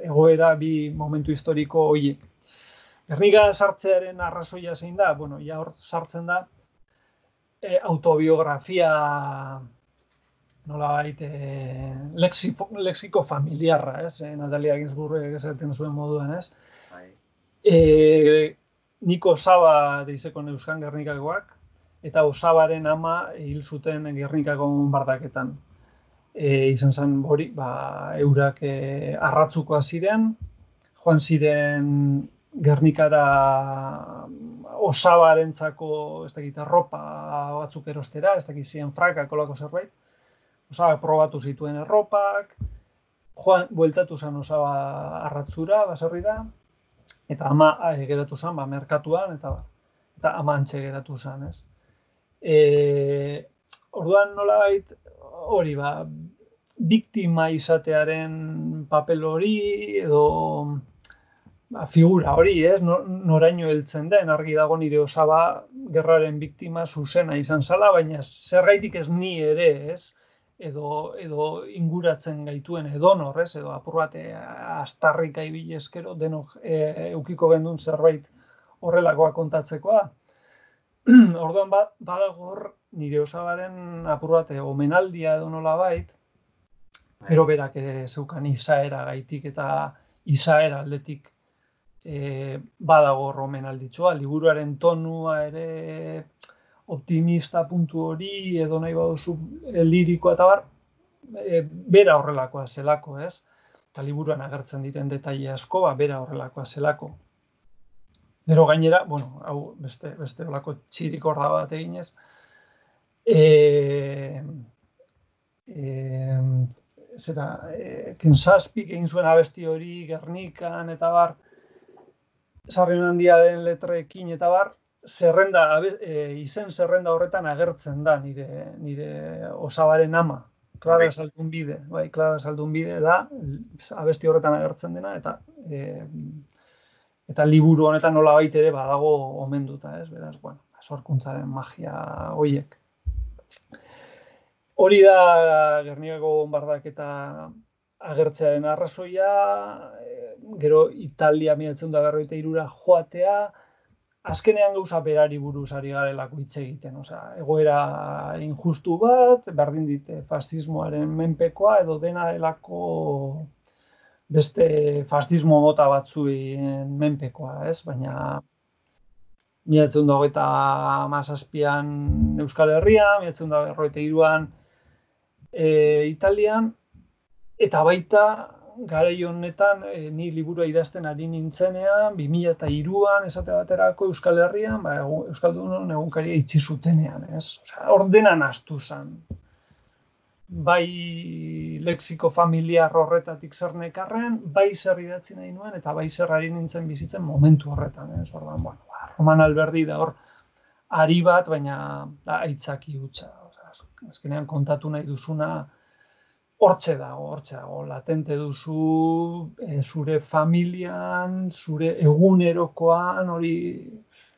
egoera, bi momentu historiko horiek. Gernika sartzearen arrazoia zein da? Bueno, ja hor sartzen da autobiografia nolabait lexiko familiarra, ez? Natalia Ginsburgek esaten zuen moduan, ez? Niko Osaba deizeko neuzkan Gernikakoak, eta Osabaren ama hil zuten Gernikako bonbardaketan. Izan zen hori, eurak arratzukoa ziren, joan ziren Gernikara Osabarentzako, ez dakit, arropa batzuk erostera, ez dakit ziren frakak olako zerbait. Osaba probatu zituen erropak, bueltatu zen Osaba arratzura, baserrira, eta ama geratu zen, merkatuan, eta ama antxe geratu zen, ez? Orduan nolabait hori, biktima izatearen papel hori, edo figura hori, ez? Noraino heltzen den, argi dago nire Osaba gerraren biktima zuzena izan zala, baina zergaitik ez ni ere, ez? Edo inguratzen gaituen edonor, ez? Edo apur bat astarrika ibili eskero, denok eukiko gendun zerbait horrelakoa kontatzekoa. Orduan badago hor nire Osabaren apur bat omenaldia edo nolabait, gero berak zeukan izaera gaitik eta izaera aldetik badago hor omenalditxoa, liburuaren tonua ere optimista puntu hori, edo nahi baduzu lirikoa eta bera horrelakoa zelako, ez? Eta liburuan agertzen diren detaile asko, bera horrelakoa zelako. Gero gainera, bueno, hau beste olako txirik horra bat eginez, Kensaspik egin zuen abesti hori Gernikan eta Sarrion Handiaren letrekin eta izen zerrenda horretan agertzen da nire Osabaren ama, Clara Zaldunbide. Bai, Clara Zaldunbide da abesti horretan agertzen dena, eta liburu honetan nolabait ere badago omenduta, ez? Beraz, bueno, sorkuntzaren magia horiek. Hori da Gernikako bonbardaketa agertzearen arrazoia, gero Italia 1943ra joatea, azkenean gauza berari buruz ari garelako hitz egiten, egoera injustu bat, berdin dit fascismoaren menpekoa edo dena delako beste fascismo mota batzuien menpekoa, ez? Baina 1927an Euskal Herrian, 1943an Italian, eta baita garai honetan ni liburua idazten ari nintzenean, 2003an esate baterako Euskal Herrian, Euskaldunon egunkaria itxi zutenean, ez? Ordenan astu zen. Bai lexiko familiar horretatik zer nekarren, bai zer idatzi nahi nuen, eta bai zer ari nintzen bizitzen momentu horretan, ez? Orduan, bueno, Roman Alberdi da hor ari bat, baina aitzaki hutsa. Azkenean kontatu nahi duzuna hortxe dago, latente duzu zure familian, zure egunerokoan, hori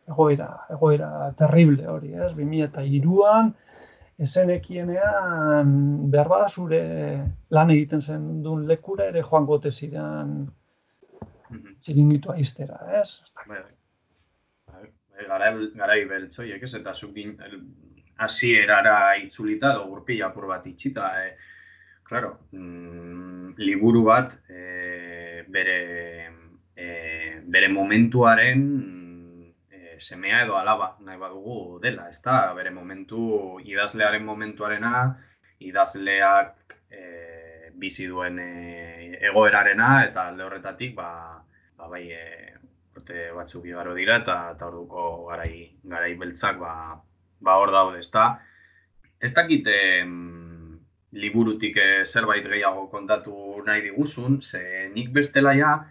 egoera terrible hori, ez? 2003an, ezenekienean behar bada zure lan egiten zen duen lekura ere joango ote ziren txiringitua iztera, ez? Garai beltzoiek, ez? Eta zuk hasierara itzulita edo gurpila apur bat itxita, claro, liburu bat bere momentuaren semea edo alaba nahi badugu dela, ezta? Bere idazlearen momentuarena, idazleak bizi duen egoerarena, eta alde horretatik, bai, urte batzuk igaro dira, eta orduko garai beltzak, hor daude, ezta? Ez dakit liburutik zerbait gehiago kontatu nahi diguzun, ze nik bestela ja,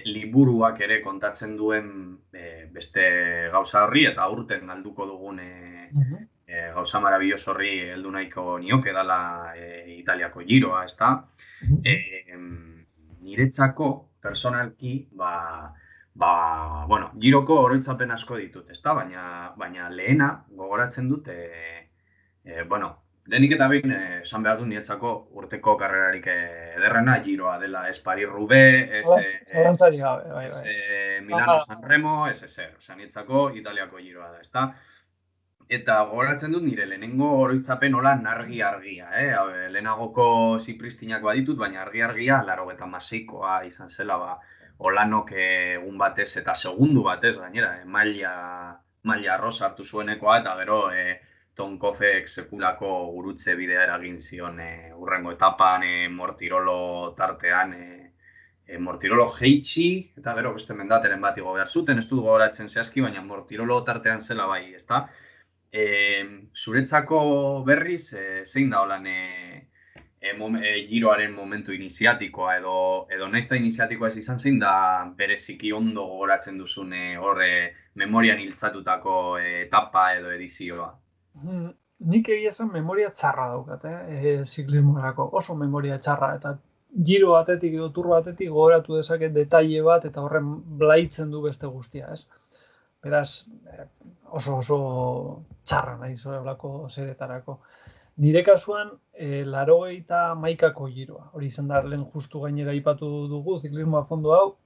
liburuak ere kontatzen duen beste gauza horri, eta aurten galduko dugun gauza marabilloso horri heldu nahiko nioke dela Italiako Giroa, ezta? Niretzako, personalki, Giroko oroitzapen asko ditut, ezta? Baina lehena gogoratzen dut, lehenik eta behin esan behar du niretzako urteko karrerarik ederrena Giroa dela, ez Paris-Roubaix, Zalantzari gabe, bai. Milano-San Remo, ez ezer, niretzako Italiako Giroa da, ezta? Eta gogoratzen dut nire lehenengo oroitzapen hola argia, lehenagoko zipristinak baditut, baina argia, 96koa izan zela, Olanok egun batez eta segundu batez gainera, maila rosa hartu zuenekoa, eta gero Tonkofek sekulako gurutze bidea eragin zion urrengo etapan, Mortirolo tartean, Mortirolo jeitsi, eta gero beste mendateren bat igo behar zuten, ez dut gogoratzen zehazki, baina Mortirolo tartean zela bai, ezta? Zuretzako berriz, zein da holan Giroaren momentu iniziatikoa edo naizta iniziatikoa ez izan, zein da bereziki ondo gogoratzen duzun memorian hiltzatutako etapa edo edizioa? Nik egia esan memoria txarra daukat, ziklismorako, oso memoria txarra, eta Giro batetik edo Tour batetik gogoratu dezaket detaile bat eta horren blaitzen du beste guztia, ez? Beraz, oso txarra nahi zoelako zeretarako. Nire kasuan, 91ko Giroa. Hori izan da, lehen justu gainera aipatu dugu, ziklismoa fondo hau,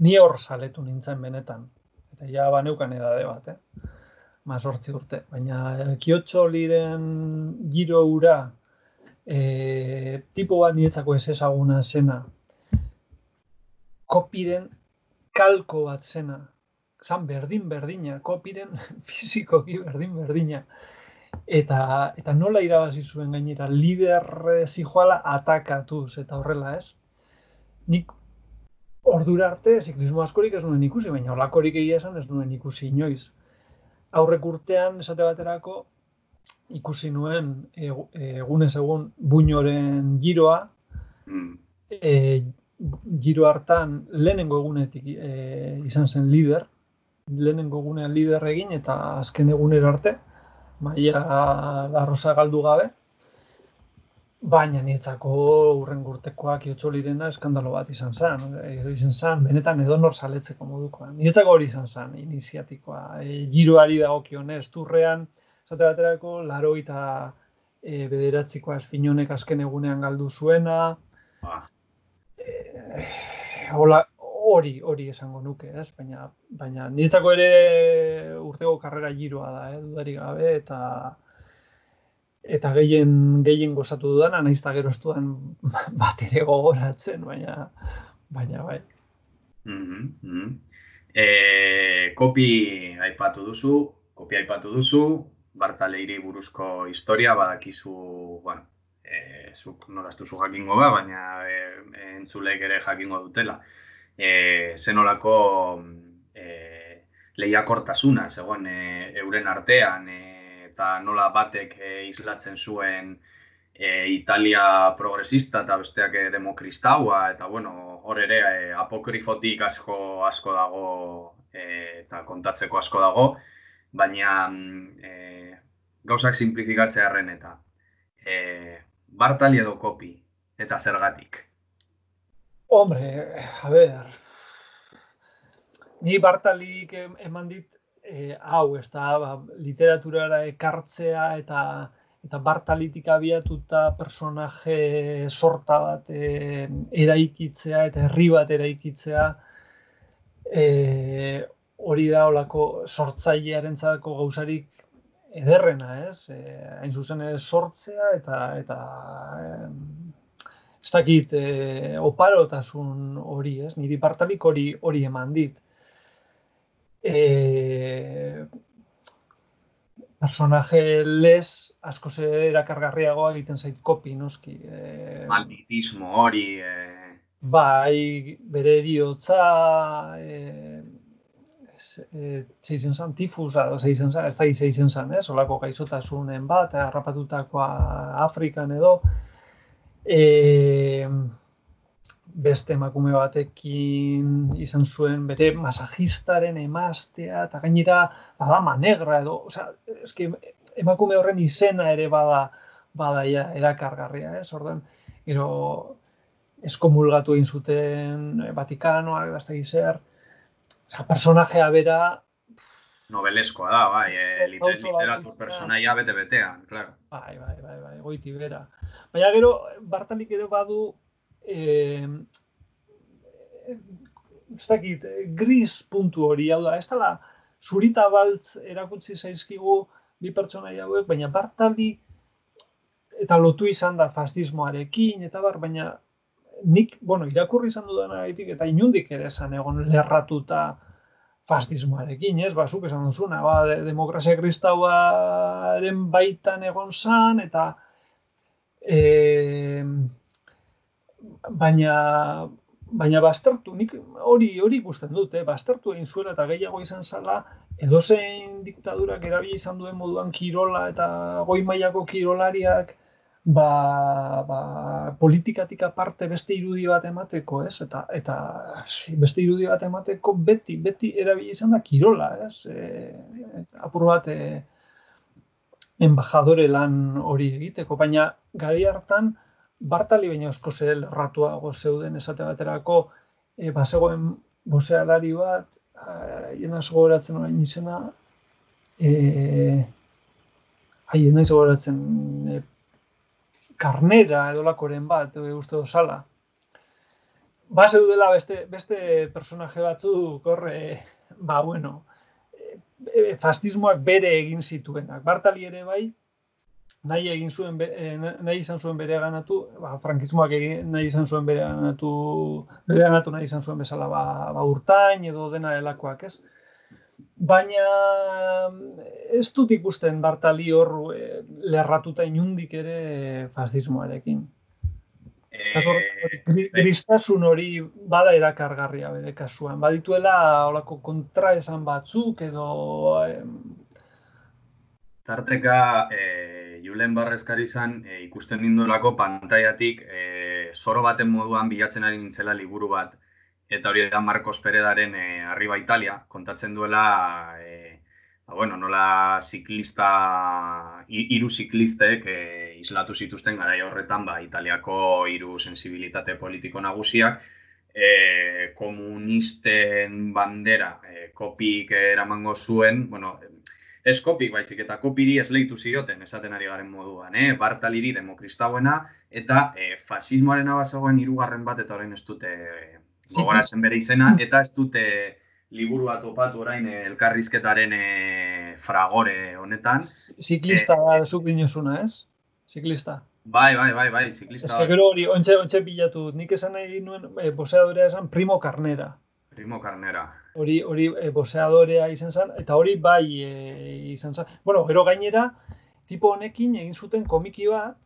ni hor saletu nintzen benetan. Eta ja baneukan edade bat, 8 urte. Baina Kiotxoliren Giro hura, tipo bat niretzako ez ezaguna zena, Kopiren kalko bat zena, zan berdina, Kopiren fizikoki berdina. Eta nola irabazi zuen gainera, lider zijoala atakatuz eta horrela, ez? Nik ordura arte ziklismo askorik ez nuen ikusi, baina holakorik egia esan ez nuen ikusi inoiz. Aurrek urtean, esate baterako, ikusi nuen egunez egun Buñoren Giroa, Giro hartan lehenengo egunetik izan zen lider, lehenengo egunean lider egin eta azken egunera arte, maila larrosa galdu gabe, baina niretzako hurrengo urtekoak Kiotxolirena eskandalo bat izan zen, benetan edonor saletzeko modukoa. Niretzako hori izan zen, iniziatikoa. Giroari dagokionez, Tourrean, esate baterako, 89koa Esfinonek azken egunean galdu zuena, hori esango nuke, ez? Baina niretzako ere urteko karrera Giroa da, dudarik gabe, eta gehien gozatu dudana, nahiz eta gero ez dudan bat ere gogoratzen, baina bai. Kopi aipatu duzu, Bartaleiri buruzko historia, badakizu, zuk nola ez duzu jakingo baina entzulek ere jakingo dutela. Zenolako lehiakortasuna zegoen euren artean, eta nola batek islatzen zuen Italia progresista eta besteak demokristaua, eta hor ere apokrifotik asko dago eta kontatzeko asko dago, baina gauzak simplifikatzearren eta Bartali edo Kopi, eta zergatik? Hombre, a ver, ni Bartalik eman dit hau, ez da, literaturara ekartzea eta eta Bartalitik abiatuta personaje sorta bat eraikitzea eta herri bat eraikitzea, hori da olako sortzailearentzako gauzarik ederrena, ez? Hain zuzen ere sortzea eta ez dakit, oparotasun hori, ez? Niri Bartalik hori eman dit. Personaje lez askoz erakargarriagoa egiten zait kopi, noski. Malditismo hori... Bai, bere eriotza, zeizen zan, tifusa, zeizen zan, ez da zeizen zan, olako gaixotasunen bat, harrapatutakoa Afrikan edo, beste emakume batekin izan zuen bere masajistaren emaztea, eta gainera dama negra edo, osea, eske emakume horren izena ere bada ja erakargarria, orduan, gero eskomulgatu egin zuten Vatikanoak, da ez da zer, personajea bera... Nobeleskoa da, bai, literatur personaia bete-betean, claro. Bai, goiti bera. Baina gero, Bartalik ere badu, ez dakit, gris puntu hori, hau da, ez dela, zurita baltz erakutsi zaizkigu bi pertsonaia hauek, baina Bartalik, eta lotu izan da fascismoarekin, eta baina nik, irakurri izan dudanagatik, eta inundik ere esan egon lerratuta fascismoarekin, ez? Zuk esan duzuna, demokrazia kristauaren baitan egon zan, eta baina baztertu, nik hori ikusten dut, baztertu egin zuela eta gehiago izan zala, edozein diktadurak erabili izan duen moduan kirola eta goi mailako kirolariak politikatik aparte beste irudi bat emateko, ez? Eta beste irudi bat emateko beti erabili izan da kirola, ez? Apur bat embajadore lan hori egiteko, baina garai hartan Bartali baina askoz ere lerratuago zeuden esate baterako, bazegoen bozealari bat, jenaz gogoratzen orain izena, jenaz gogoratzen Karnera edolakoren bat, uste dozala. Zeudela beste personaje batzuk horre, fascismoak bere egin zituenak. Bartali ere bai, nahi izan zuen bere ganatu, frankismoak nahi izan zuen bere ganatu nahi izan zuen bezala urtain edo dena delakoak, ez? Baina ez dut ikusten Bartali hor lerratuta inundik ere fascismoarekin. Gristasun hori bada erakargarria bere kasuan. Badituela olako kontraesan batzuk edo... Tarteka, Julen Barreskari izan ikusten nindolako pantaiatik zoro baten moduan bilatzen ari nintzela liburu bat. Eta hori da Marcos Peredaren Arriba Italia, kontatzen duela, nola hiru ziklistek islatu zituzten garai horretan, Italiako hiru sensibilitate politiko nagusiak, komunisten bandera kopik eramango zuen, ez kopik baizik eta kopiri esleitu zioten esaten ari garen moduan, Bartaliri demokristauena eta fasismoaren abazegoen hirugarren bat eta orain ez dute gogoratzen bere izena, eta ez dute liburua topatu orain elkarrizketaren fragore honetan. Ziklista zuk dinozuna, ez? Ziklista. Bai, ziklista. Ez que gero hori, ontxe bilatu dut. Nik esan nahi nuen boxeadorea esan Primo Carnera. Primo Carnera. Hori boxeadorea izan zen, eta hori bai izan zen. Gero gainera, tipo honekin egin zuten komiki bat,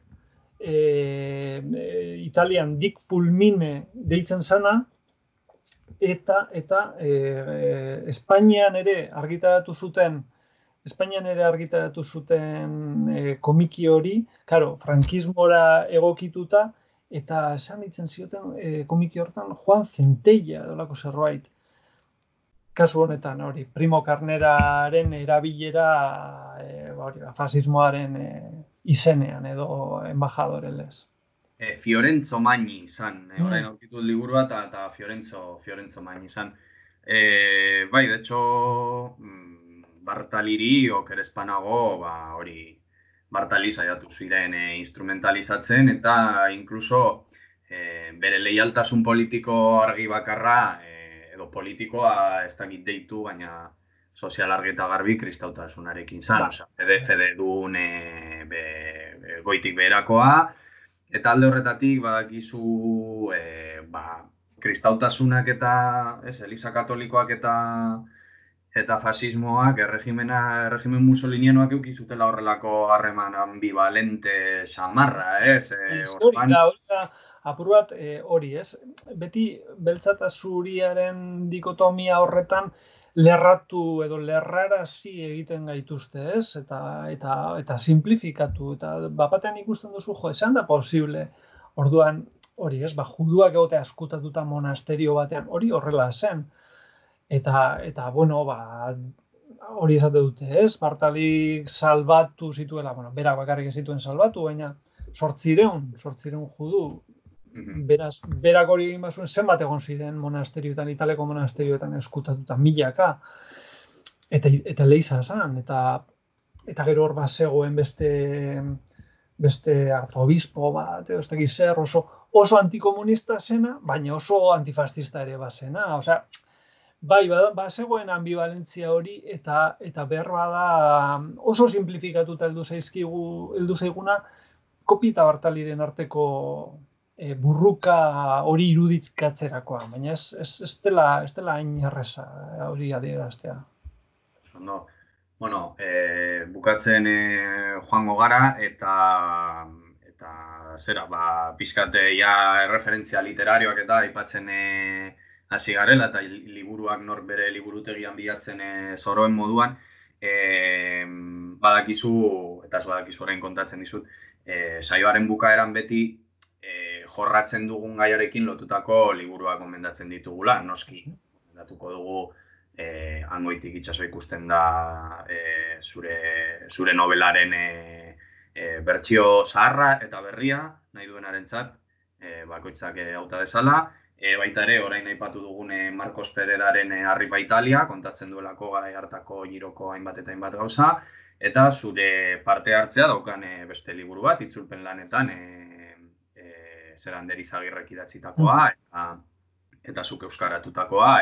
Italian Dick Fulmine deitzen zana, eta Espainian ere argitaratu zuten komiki hori, claro, frankismora egokituta, eta esan ditzen zioten komiki hortan Juan Centella dolako zerbait. Kasu honetan hori, Primo Carneraren erabilera fasismoaren izenean edo embajadore lez. Fiorenzo Magni izan, orain aurkitu liburu bat eta Fiorenzo Magni izan. Bai, de hecho, Bartaliri oker espanago, hori Bartali saiatu ziren instrumentalizatzen eta inkluso bere leialtasun politiko argi bakarra edo politikoa ez dakit deitu, baina sozial argi eta garbi kristautasunarekin zan, osea, fede duen goitik beherakoa, eta alde horretatik badakizu kristautasunak eta Eliza Katolikoak eta fasismoak erregimen musolinianoak eduki zutela horrelako harreman ambivalente samarra, ez? Hori apur bat hori, ez? Beti beltza eta zuriaren dikotomia horretan lerratu edo lerrarazi egiten gaituzte, ez? Eta simplifikatu, eta bapatean ikusten duzu, esan da posible, orduan, hori, ez? Juduak egote askutatuta monasterio batean, hori horrela zen. Eta bueno, hori esate dute, ez? Bartalik salbatu zituela, berak bakarrik ez zituen salbatu, baina 800 judu. Beraz, berak hori egin bazuen zenbat egon ziren monasterioetan, Italeko monasterioetan eskutatuta, milaka. Eta leiza zan, eta gero hor zegoen beste arzobispo bat, ez dakit zer, oso antikomunista zena, baina oso antifascista ere bazena. Osea, bai, zegoen ambivalentzia hori eta behar bada oso simplifikatuta heldu zaiguna Kopi eta Bartaliren arteko burruka hori irudikatzerakoa, baina ez dela hain erreza hori adieraztea. No. Bueno, bukatzen joango gara eta zera, pixkate ja erreferentzia literarioak eta aipatzen hasi garela eta liburuak nor bere liburutegian bilatzen zoroen moduan, badakizu, eta ez badakizu orain kontatzen dizut, saioaren bukaeran beti jorratzen dugun gaiarekin lotutako liburuak gomendatzen ditugula, noski. Gomendatuko dugu Hangoitik itsaso ikusten da zure novelaren bertsio zaharra eta berria, nahi duenarentzat, bakoitzak hauta dezala. Baita ere, orain aipatu dugun Marcos Pereraren Arriba Italia, kontatzen duelako garai hartako giroko hainbat eta hainbat gauza, eta zure parte hartzea daukan beste liburu bat, itzulpen lanetan, zeran Derizagirrek idatzitakoa, eta zuk euskaratutakoa,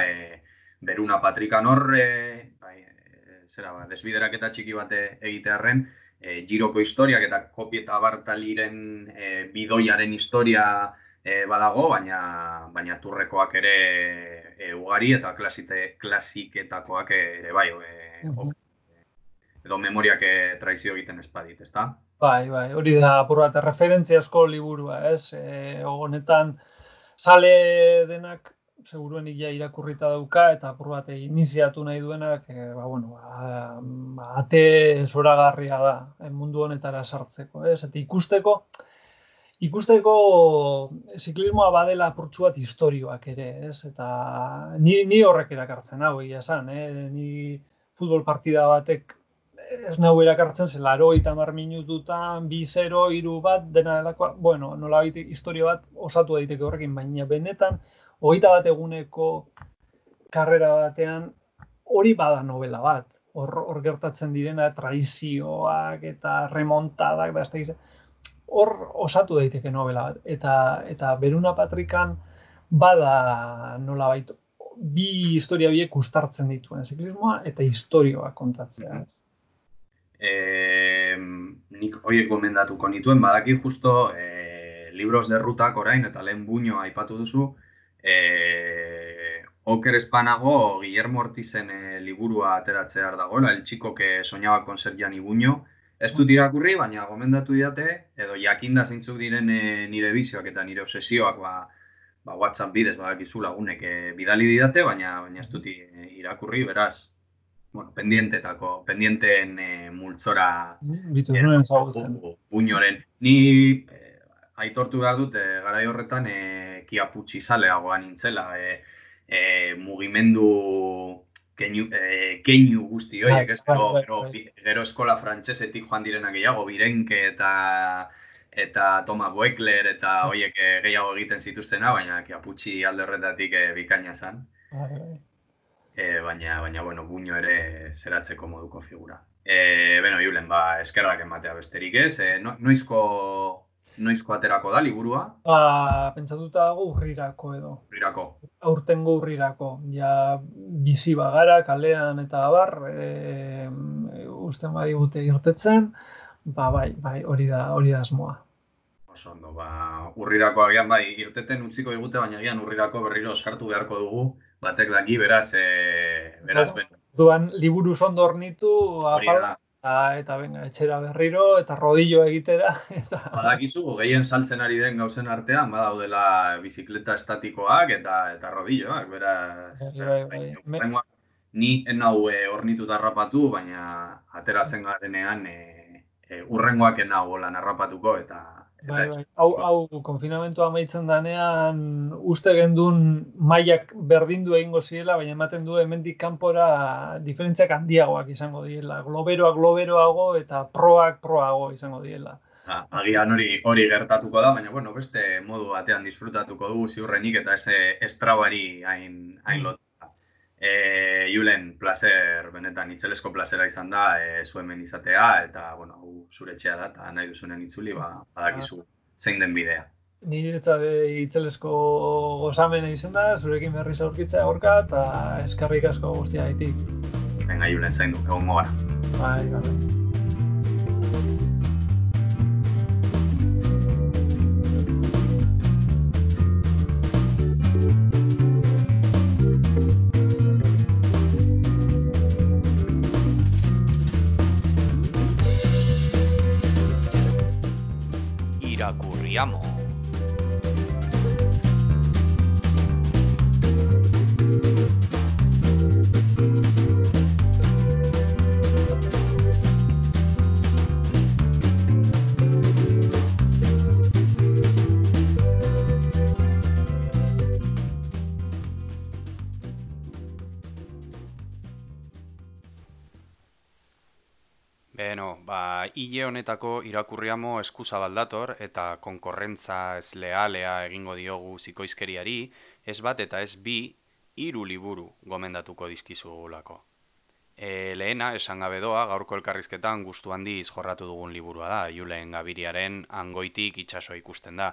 Beruna Patrikan hor, desbideraketa txiki bat egitearren, giroko historiak eta Kopi eta Bartaliren bidoiaren historia badago, baina turrekoak ere ugari eta klasiketakoak ere bai, edo memoriak traizio egiten espadit, ezta? Bai, hori da apur bat referentziazko liburua, ez? Honetan, sale denak seguruenik ja irakurrita dauka eta apur bat iniziatu nahi duenak, ate zoragarria da mundu honetara sartzeko, ez? Eta ikusteko ziklismoa badela apurtxu bat historioak ere, ez? Eta ni horrek erakartzen hau, egia esan, ni futbol partida batek ez nahu erakartzen zen 80 minututan, 2-0, 3-1, dena delakoa, nolabait historia bat osatu daiteke horrekin, baina benetan 21 eguneko karrera batean hori bada novela bat. Hor gertatzen direna traizioak eta remontadak, hor osatu daiteke novela bat. Eta Beruna Patrikan bada nolabait bi historia biek uztartzen dituen ziklismoa eta historioa kontatzea. Nik horiek gomendatuko nituen, badaki justo libros de rutak orain eta lehen Buño aipatu duzu, oker espanago Guillermo Ortizen liburua ateratzear dagoela, El chico que soñaba con ser Gianni Buño. Ez dut irakurri, baina gomendatu didate, edo jakinda zeintzuk diren nire bizioak eta nire obsesioak WhatsApp bidez badakizu lagunek bidali didate, baina ez dut irakurri, beraz, pendienteen multzora Buñoren. Ni aitortu behar dut, garai horretan kiaputxi zaleagoa nintzela, mugimendu keinu guzti horiek, gero eskola frantsesetik joan direnak gehiago, Birenke eta Thomas Voeckler eta horiek gehiago egiten zituztena, baina kiaputxi alde horretatik bikaina zen. Baina, Buño ere zeratzeko moduko figura. Beno, Julen, eskerrak ematea besterik ez. Noizko aterako da liburua? Pentsatuta dago urrirako edo. Urrirako. Aurtengo urrirako. Ja bizi bagara, kalean eta abar, usten badigute irtetzen, bai, hori da asmoa. Oso ondo, urrirako agian bai irteten utziko digute, baina agian urrirako berriro oskartu beharko dugu, batek daki, beraz, Duan, liburu ondo hornitu, apala, eta venga, etxera berriro, eta rodillo egitera. Badakizu, gehien saltzen ari den gauzen artean, badaudela bizikleta estatikoak eta rodilloak, beraz, ni enau hornituta harrapatu, baina ateratzen garenean urrengoak enau lan harrapatuko, eta Bai. Hau konfinamentua amaitzen danean uste gendun mailak berdindu egingo zirela, baina ematen du hemendik kanpora diferentziak handiagoak izango direla. Globeroago eta proago izango direla. Agian hori gertatuko da, baina bueno, beste modu batean disfrutatuko dugu ziurrenik eta ez trabari hain lotuta. Julen, placer, benetan itzelesko plazera izan da, zu hemen izatea, eta, bueno, zure etxea da, eta nahi duzunen itzuli, badakizu zein den bidea. Niretzat itzelesko gozamena izan da, zurekin berriz aurkitzea aurka, eta eskerrik asko guztia gaitik. Venga, Julen, zaindu, egongo gara. Bai. Irakurriamo. Hile honetako irakurriamo eskuzabal dator eta konkorrentza ez lealea egingo diogu zikoizkeriari, ez bat eta ez bi, 3 liburu gomendatuko dizkizugulako. Lehena, esan gabe doa, gaurko elkarrizketan gustu handiz jorratu dugun liburua da, Julen Gabiriaren Angoitik itsasoa ikusten da.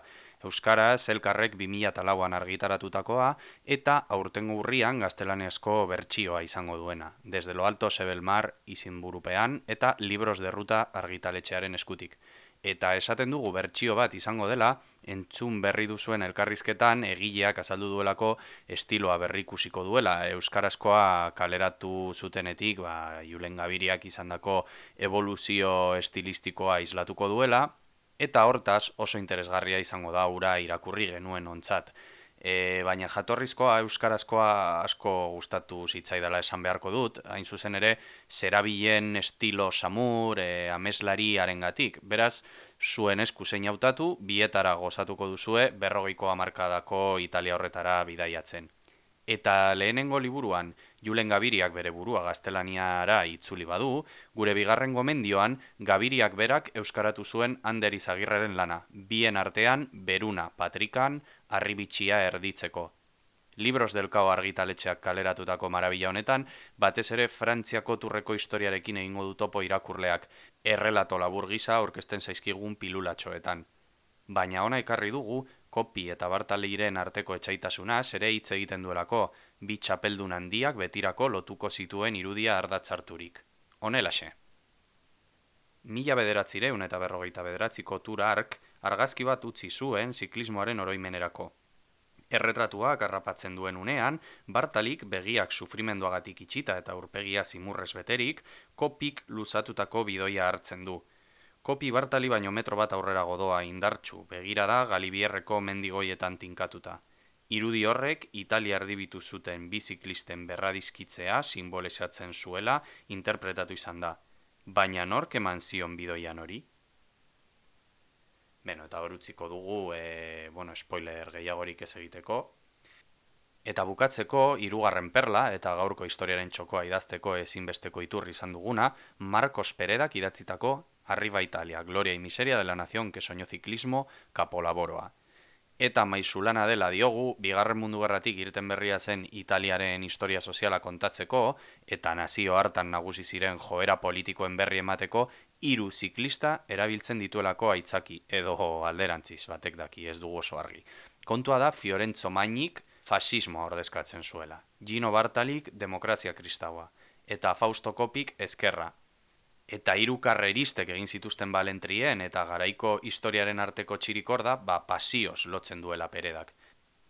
Euskaraz, Elkarrek 2004an argitaratutakoa eta aurtengo urrian gaztelaniazko bertsioa izango duena, Desde lo alto se ve el mar izenburupean eta Libros de ruta argitaletxearen eskutik. Eta esaten dugu bertsio bat izango dela, entzun berri duzuen elkarrizketan egileak azaldu duelako estiloa berrikusiko duela. Euskarazkoa kaleratu zutenetik, Julen Gabiriak izandako evoluzio estilistikoa islatuko duela, eta hortaz oso interesgarria izango da ura irakurri genuen ontzat. Baina jatorrizkoa euskarazkoa asko gustatu zitzaidala esan beharko dut, hain zuzen ere zerabilen estilo samur, ameslari harengatik. Beraz, zuen esku zein hautatu, bietara gozatuko duzue 40ko hamarkadako Italia horretara bidaiatzen. Eta lehenengo liburuan, Julen Gabiriak bere burua gaztelaniara itzuli badu, gure bigarren gomendioan Gabiriak berak euskaratu zuen Ander Izagirreren lana, bien artean Beruna Patrikan Arribitxia erditzeko. Libros del Cao argitaletxeak kaleratutako marabila honetan, batez ere Frantziako turreko historiarekin egingo du topo irakurleak, errelato labur gisa aurkezten zaizkigun pilulatxoetan. Baina ona ekarri dugu, Kopi eta Bartaliren arteko etsaitasunaz ere hitz egiten duelako, bi txapeldun handiak betirako lotuko zituen irudia ardatzarturik. Honelaxe. 1949ko Tour Ark argazki bat utzi zuen ziklismoaren oroimenerako. Erretratuak harrapatzen duen unean, Bartalik begiak sufrimenduagatik itxita eta aurpegia zimurrez beterik, Kopik luzatutako bidoia hartzen du. Kopi Bartali baino metro bat aurrera godoa indartsu, begira da Galibierreko mendigoietan tinkatuta. Irudi horrek Italia erdibitu zuten biziklisten berradizkitzea simbolizatzen zuela interpretatu izan da. Baina nork eman zion bidoian hori? Eta hor utziko dugu, spoiler gehiagorik ez egiteko. Eta bukatzeko, 3. perla eta gaurko historiaren txokoa idazteko ezinbesteko iturri izan duguna, Marcos Peredak idatzitako Arriba Italia, Gloria y Miseria de la Nación que soñó ciclismo, Capolaboroa. Eta maisulana dela diogu, Bigarren Mundu Gerratik irten berria zen Italiaren historia soziala kontatzeko, eta nazio hartan nagusi ziren joera politikoen berri emateko, 3 ziklista erabiltzen dituelako aitzaki, edo alderantziz batek daki, ez dugu oso argi. Kontua da Fiorenzo Magnik fasismoa ordezkatzen zuela, Gino Bartalik demokrazia kristaua, eta Fausto Kopik ezkerra. Eta 3 karreristek egin zituzten balentrien eta garaiko historiaren arteko txirikorda, pasioz lotzen duela Peredak.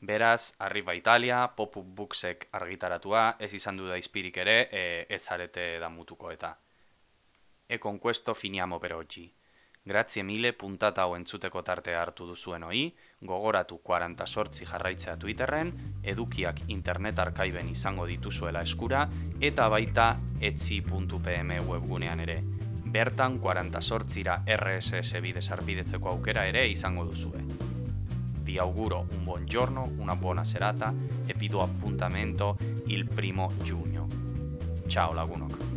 Beraz, Arriba Italia, Pop-up Booksek argitaratua, ez izan du da izpirik ere, ez arete damutuko eta. E con questo finiamo per oggi. Grazie mille puntata hau entzuteko tartea hartu duzuen hoi, gogoratu 48 jarraitzea Twitterren, edukiak internet arkaiben izango dituzuela eskura, eta baita etzi.pm webgunean ere. Bertan 48ra RSS bidez arpidetzeko aukera ere izango duzue. Vi auguro un buon giorno, una buona serata e vi do appuntamento il 1 giugno. Ciao lagunok!